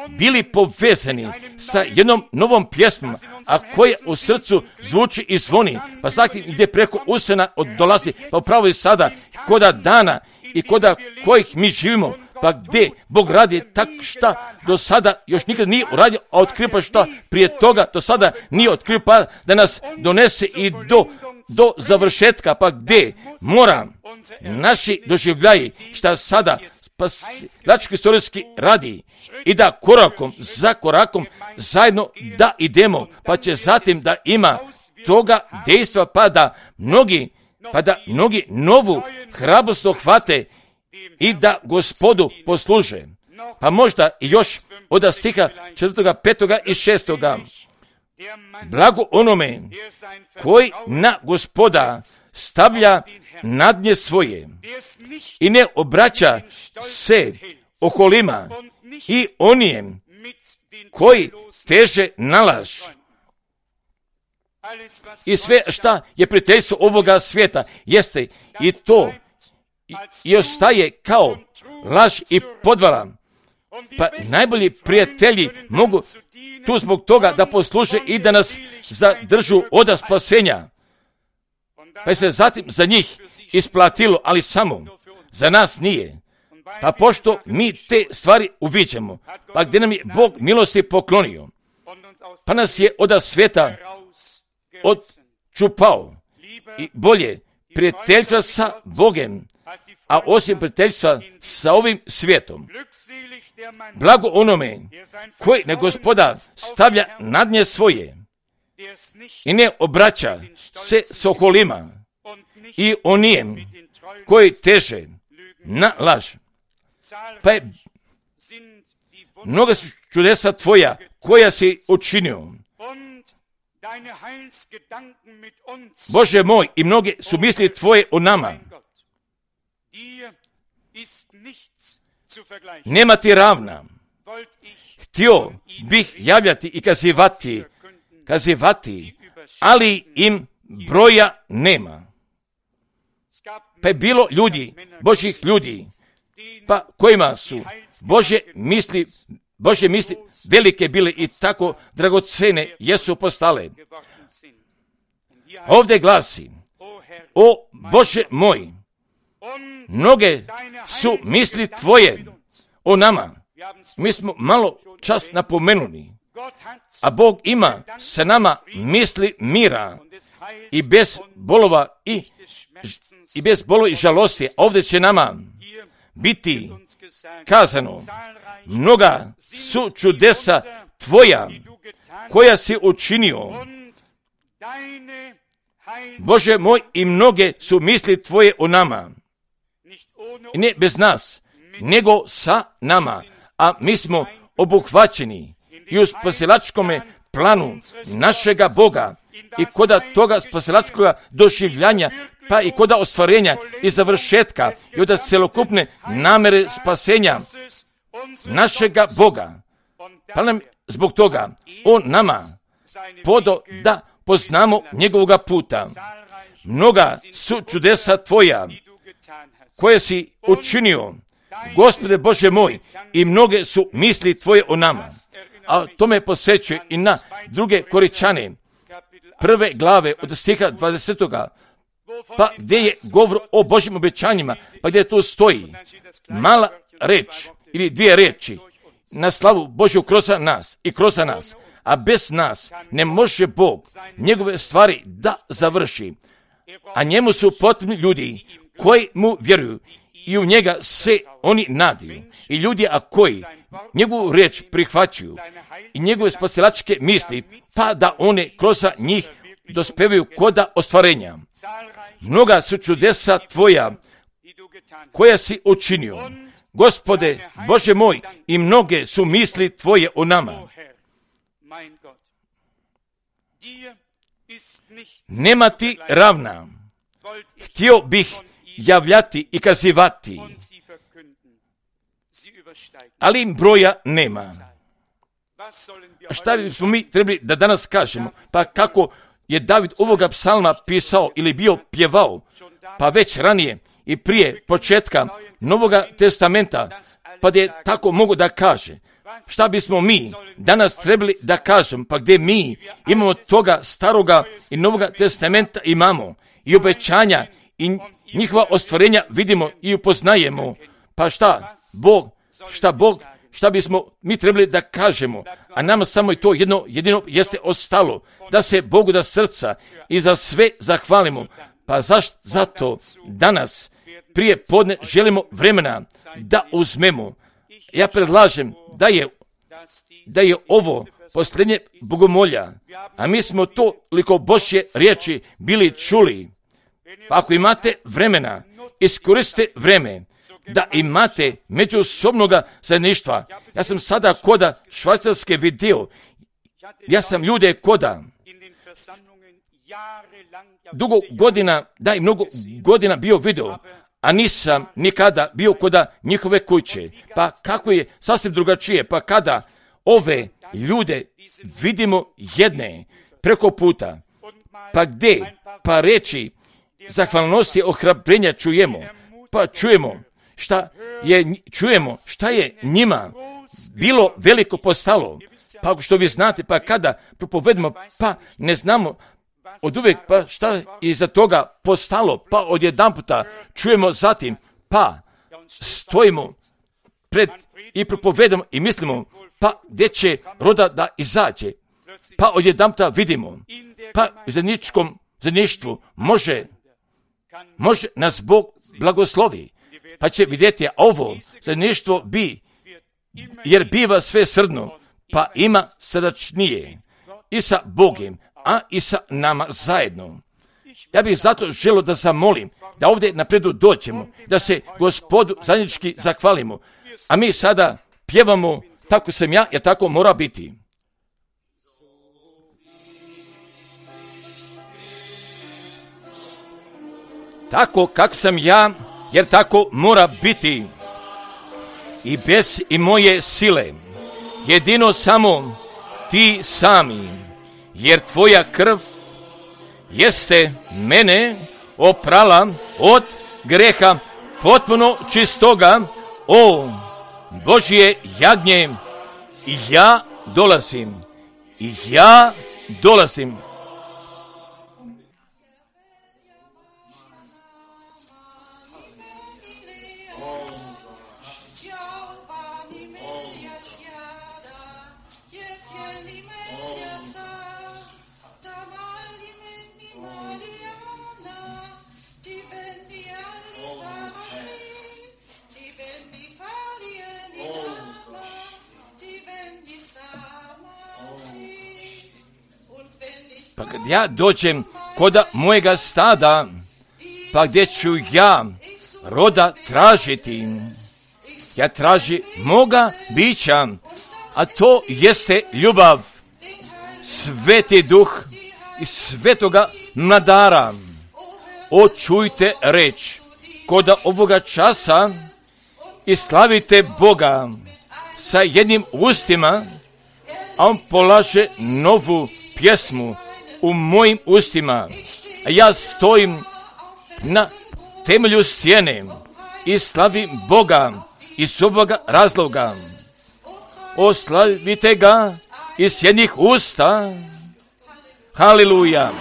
[SPEAKER 1] bili povezani sa jednom novom pjesmom, a koja u srcu zvuči i zvoni, pa svaki gdje preko usena dolazi, pa upravo i sada, koda dana i koda kojih mi živimo, pa gdje Bog radi tak šta do sada još nikad nije uradio, a otkrio pa šta prije toga do sada nije otkrio, pa da nas donese i do završetka, pa gdje mora naši doživljaji šta sada spasilački istorijski radi i da korakom za korakom zajedno da idemo, pa će zatim da ima toga dejstva, pa da mnogi novu hrabrost hvate i da Gospodu posluže. Pa možda i još od stiha 4., 5. i 6. Blago onome koji na Gospoda stavlja nadnje svoje i ne obraća se okolima i onijem koji teže na laž. I sve šta je prijateljstvo ovoga svijeta jeste i to i ostaje kao laž i podvala. Pa najbolji prijatelji mogu tu zbog toga da posluže i da nas zadržu od spasenja. Pa se zatim za njih isplatilo, ali samo za nas nije. Pa pošto mi te stvari uviđamo, pa gdje nam je Bog milosti poklonio, pa nas je od svijeta odčupao i bolje prijateljstva sa Bogem, a osim prijateljstva sa ovim svijetom. Blago onome koji na Gospoda stavlja nadnje svoje i ne obraća se s okolima i onijem koji teže na laž. Pa je mnoga su čudesa tvoja koja si učinio, Bože moj, i mnoge su misli tvoje o nama. Nema ti ravna. Htio bih javljati i kazivati, ali im broja nema. Pa je bilo ljudi, Božjih ljudi, pa kojima su Božje misli velike bile i tako dragocene jesu postale. Ovdje glasi, o Bože moj, mnoge su misli tvoje o nama. Mi smo malo čas napomenuli, a Bog ima sa nama misli mira i bez bolova i bez bolova i žalosti. Ovdje će nama biti kazano, mnoga su čudesa tvoja koja si učinio, Bože moj, i mnoge su misli tvoje o nama. I ne bez nas, nego sa nama, a mi smo obuhvaćeni i u spasilačkome planu našega Boga i koda toga spasilačkoga doživljanja, pa i koda ostvarenja i završetka i od celokupne namere spasenja našega Boga. Pa nam zbog toga on nama podo da poznamo njegovoga puta. Mnoga su čudesa tvoja koje si učinio, Gospode Bože moj, i mnoge su misli tvoje o nama. A to me posjećuje i na druge Koričane, 1. glave od stiha 20. Pa gdje je govor o Božjim obećanjima, pa gdje tu stoji mala reč ili dvije reči na slavu Božju kroz nas i kroz nas. A bez nas ne može Bog njegove stvari da završi. A njemu su potrebni ljudi koji mu vjeruju i u njega se oni nadaju. I ljudi koji njegovu riječ prihvaćaju i njegove spasilačke misli, pa da one kroz njih dospevaju koda ostvarenja. Mnoga su čudesa tvoja koja si učinio, Gospode, Bože moj, i mnoge su misli tvoje o nama. Nema ti ravna. Htio bih javljati i kazivati, ali im broja nema. A šta bismo mi trebali da danas kažemo? Pa kako je David ovoga psalma pisao ili bio pjevao, pa već ranije i prije početka Novoga testamenta, pa da je tako mogu da kaže. Šta bismo mi danas trebali da kažem, pa gdje mi imamo toga staroga i Novoga testamenta imamo i obećanja i njihova ostvarenja vidimo i upoznajemo. Pa šta bismo mi trebali da kažemo, a nama samo je to jedino jeste ostalo, da se Bogu da srca i za sve zahvalimo. Pa zato danas prije podne želimo vremena da uzmemo. Ja predlažem da je ovo posljednje bogomolja, a mi smo toliko Božje riječi bili čuli. Pa ako imate vremena, iskoristite vreme da imate međusobnoga zajedništva. Ja sam sada koda Švajcarske vidio. Ja sam ljude koda mnogo godina bio vidio, a nisam nikada bio koda njihove kuće. Pa kako je sasvim drugačije, pa kada ove ljude vidimo jedne preko puta, pa gdje, pa reći zahvalnosti ohrabrenja čujemo, pa čujemo šta je njima bilo veliko postalo. Pa što vi znate, pa kada propovedemo, pa ne znamo od uvijek, pa šta je iza toga postalo, pa odjedanputa čujemo zatim, pa stojimo pred i propovedamo i mislimo, pa gdje će roda da izađe, pa odjedanputa vidimo, pa u zajedništvu može nas Bog blagoslovi, pa će vidjeti ovo zajedništvo jer biva sve srdno, pa ima srdačnije i sa Bogom, a i sa nama zajedno. Ja bih zato želio da zamolim da ovdje napredu dođemo, da se Gospodu zajednički zahvalimo, a mi sada pjevamo tako sam ja, jer tako mora biti. Tako kako sam ja, jer tako mora biti. I bez i moje sile, jedino samo ti sami, jer tvoja krv jeste mene oprala od greha potpuno čistoga, o Božje jagnje, i ja dolazim. Pa kad ja dođem koda mojega stada, pa gdje ću ja roda tražiti, ja traži moga bića, a to jeste ljubav, Sveti Duh i svetoga mladara. O, čujte reč koda ovoga časa i slavite Boga sa jednim ustima, a on polaže novu pjesmu u mojim ustima, a ja stojim na temelju stijene i slavim Boga iz ovoga razloga. Oslavite ga iz jednih usta. Haleluja!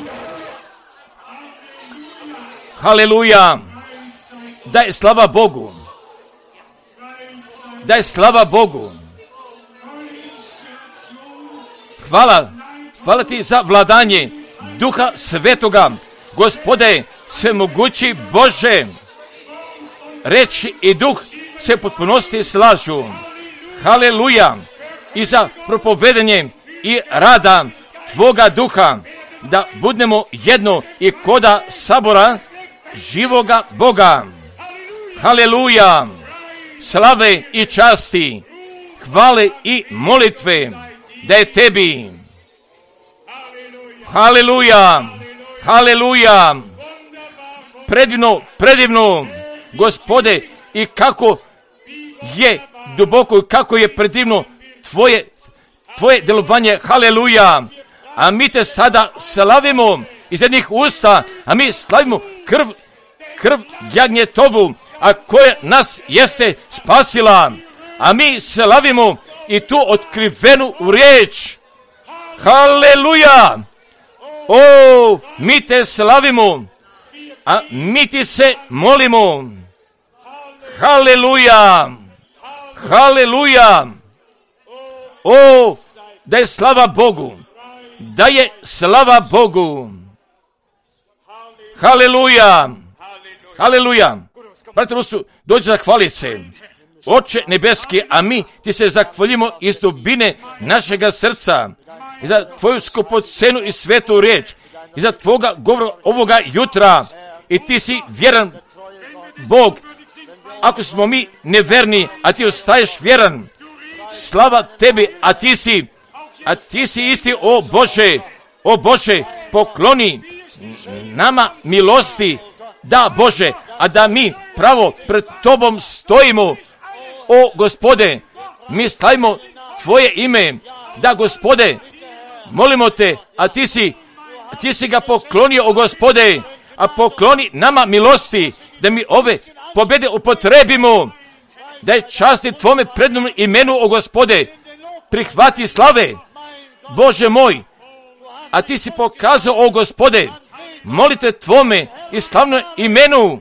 [SPEAKER 1] Haleluja! Daj slava Bogu! Daj slava Bogu! Hvala ti za vladanje Duha Svetoga. Gospode, svemogući Bože, reč i duh se potpunosti slažu. Haleluja! I za propovedanje i rada Tvoga duha, da budemo jedno i koda sabora živoga Boga. Haleluja! Slave i časti, hvale i molitve da je Tebi. Haleluja! Haleluja! Predivno, Gospode, i kako je duboko i kako je predivno Tvoje djelovanje. Haleluja! A mi te sada slavimo iz jednih usta, a mi slavimo krv jagnjetovu, a koja nas jeste spasila. A mi slavimo i tu otkrivenu riječ. Haleluja! O, mi te slavimo, a mi ti se molimo. Haleluja! Haleluja! O, da je slava Bogu! Da je slava Bogu! Haleluja! Haleluja! Brate Rusu, dođi zahvali se. Oče nebeski, a mi ti se zahvaljimo iz dubine našega srca i za Tvoju skupocenu i svetu riječ i za Tvoga govora ovoga jutra. I ti si vjeran Bog. Ako smo mi neverni, a ti ostaješ vjeran, slava Tebi, a ti si isti, o Bože, pokloni nama milosti, da Bože, a da mi pravo pred Tobom stojimo. O Gospode, mi stavimo Tvoje ime, da Gospode, molimo Te, a ti si ga poklonio, o Gospode, a pokloni nama milosti, da mi ove pobjede upotrebimo, da je časti Tvome prednom imenu, o Gospode, prihvati slave, Bože moj, a ti si pokazao, o Gospode, molite Tvome i slavno imenu,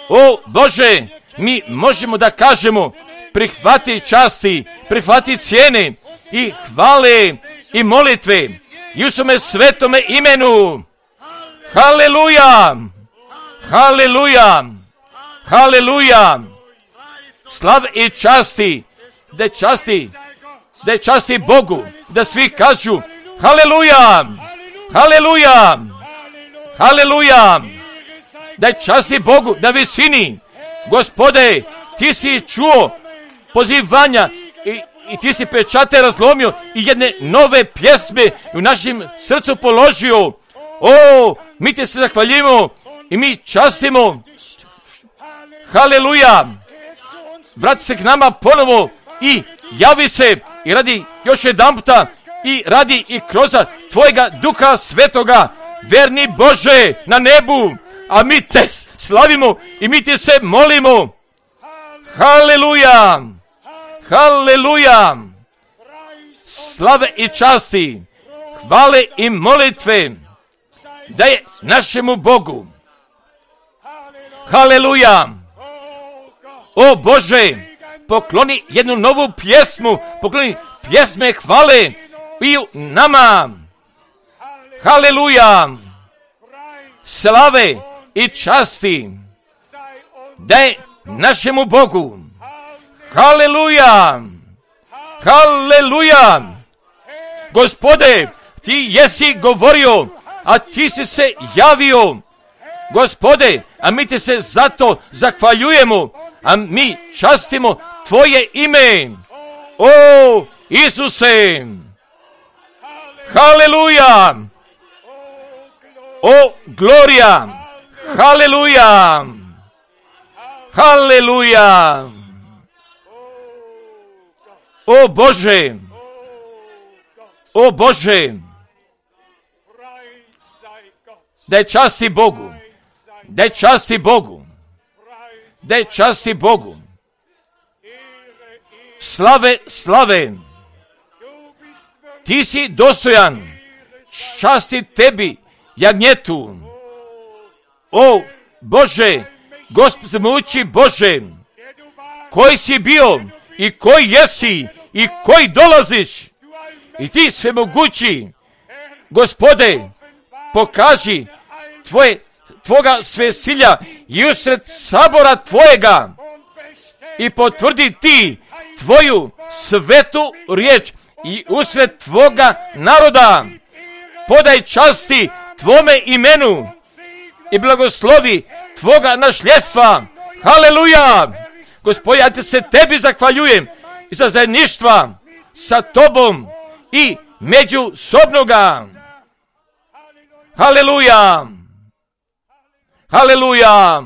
[SPEAKER 1] o Bože, mi možemo da kažemo, prihvati časti, prihvati cijene i hvale i molitve i u svome svetome imenu. Haleluja! Haleluja! Haleluja! Slav i časti, da je časti Bogu, da svi kažu haleluja! Haleluja! Haleluja! Da je časti Bogu na visini. Gospode, ti si čuo pozivanja i ti si pečate razlomio i jedne nove pjesme u našem srcu položio. O, mi ti se zahvaljimo i mi častimo. Haleluja! Vrati se k nama ponovo i javi se i radi još jedan puta i radi i kroz Tvojega Duha Svetoga, verni Bože na nebu, a mi te slavimo i mi ti se molimo. Haleluja! Haleluja! Slave i časti, hvale i molitve da je našemu Bogu. Haleluja! O Bože, pokloni jednu novu pjesmu, pokloni pjesme hvale i u nama. Haleluja! Slave i časti da je našemu Bogu. Haleluja! Haleluja! Gospode, ti jesi govorio, a ti si se javio. Gospode, a mi ti se zato zahvaljujemo, a mi častimo Tvoje ime. O Isuse! Haleluja! O glorija! Haleluja! Haleluja! O Bože! O Bože! Da je časti Bogu! Da je časti Bogu! Da je časti Bogu! Slave, slave! Ti si dostojan! Časti Tebi, jagnjetu! O Bože! Gospod muči Bože! Koji si bio i koji jesi i koji dolaziš I ti svemogući, Gospode, pokaži tvoga svesilja i usred sabora tvojega i potvrdi ti tvoju svetu riječ i usred tvoga naroda. Podaj časti tvome imenu i blagoslovi tvoga nasljedstva. Haleluja! Gospodin, ja te se tebi zahvaljujem i za zajedništva sa tobom i međusobnoga. Haleluja! Haleluja!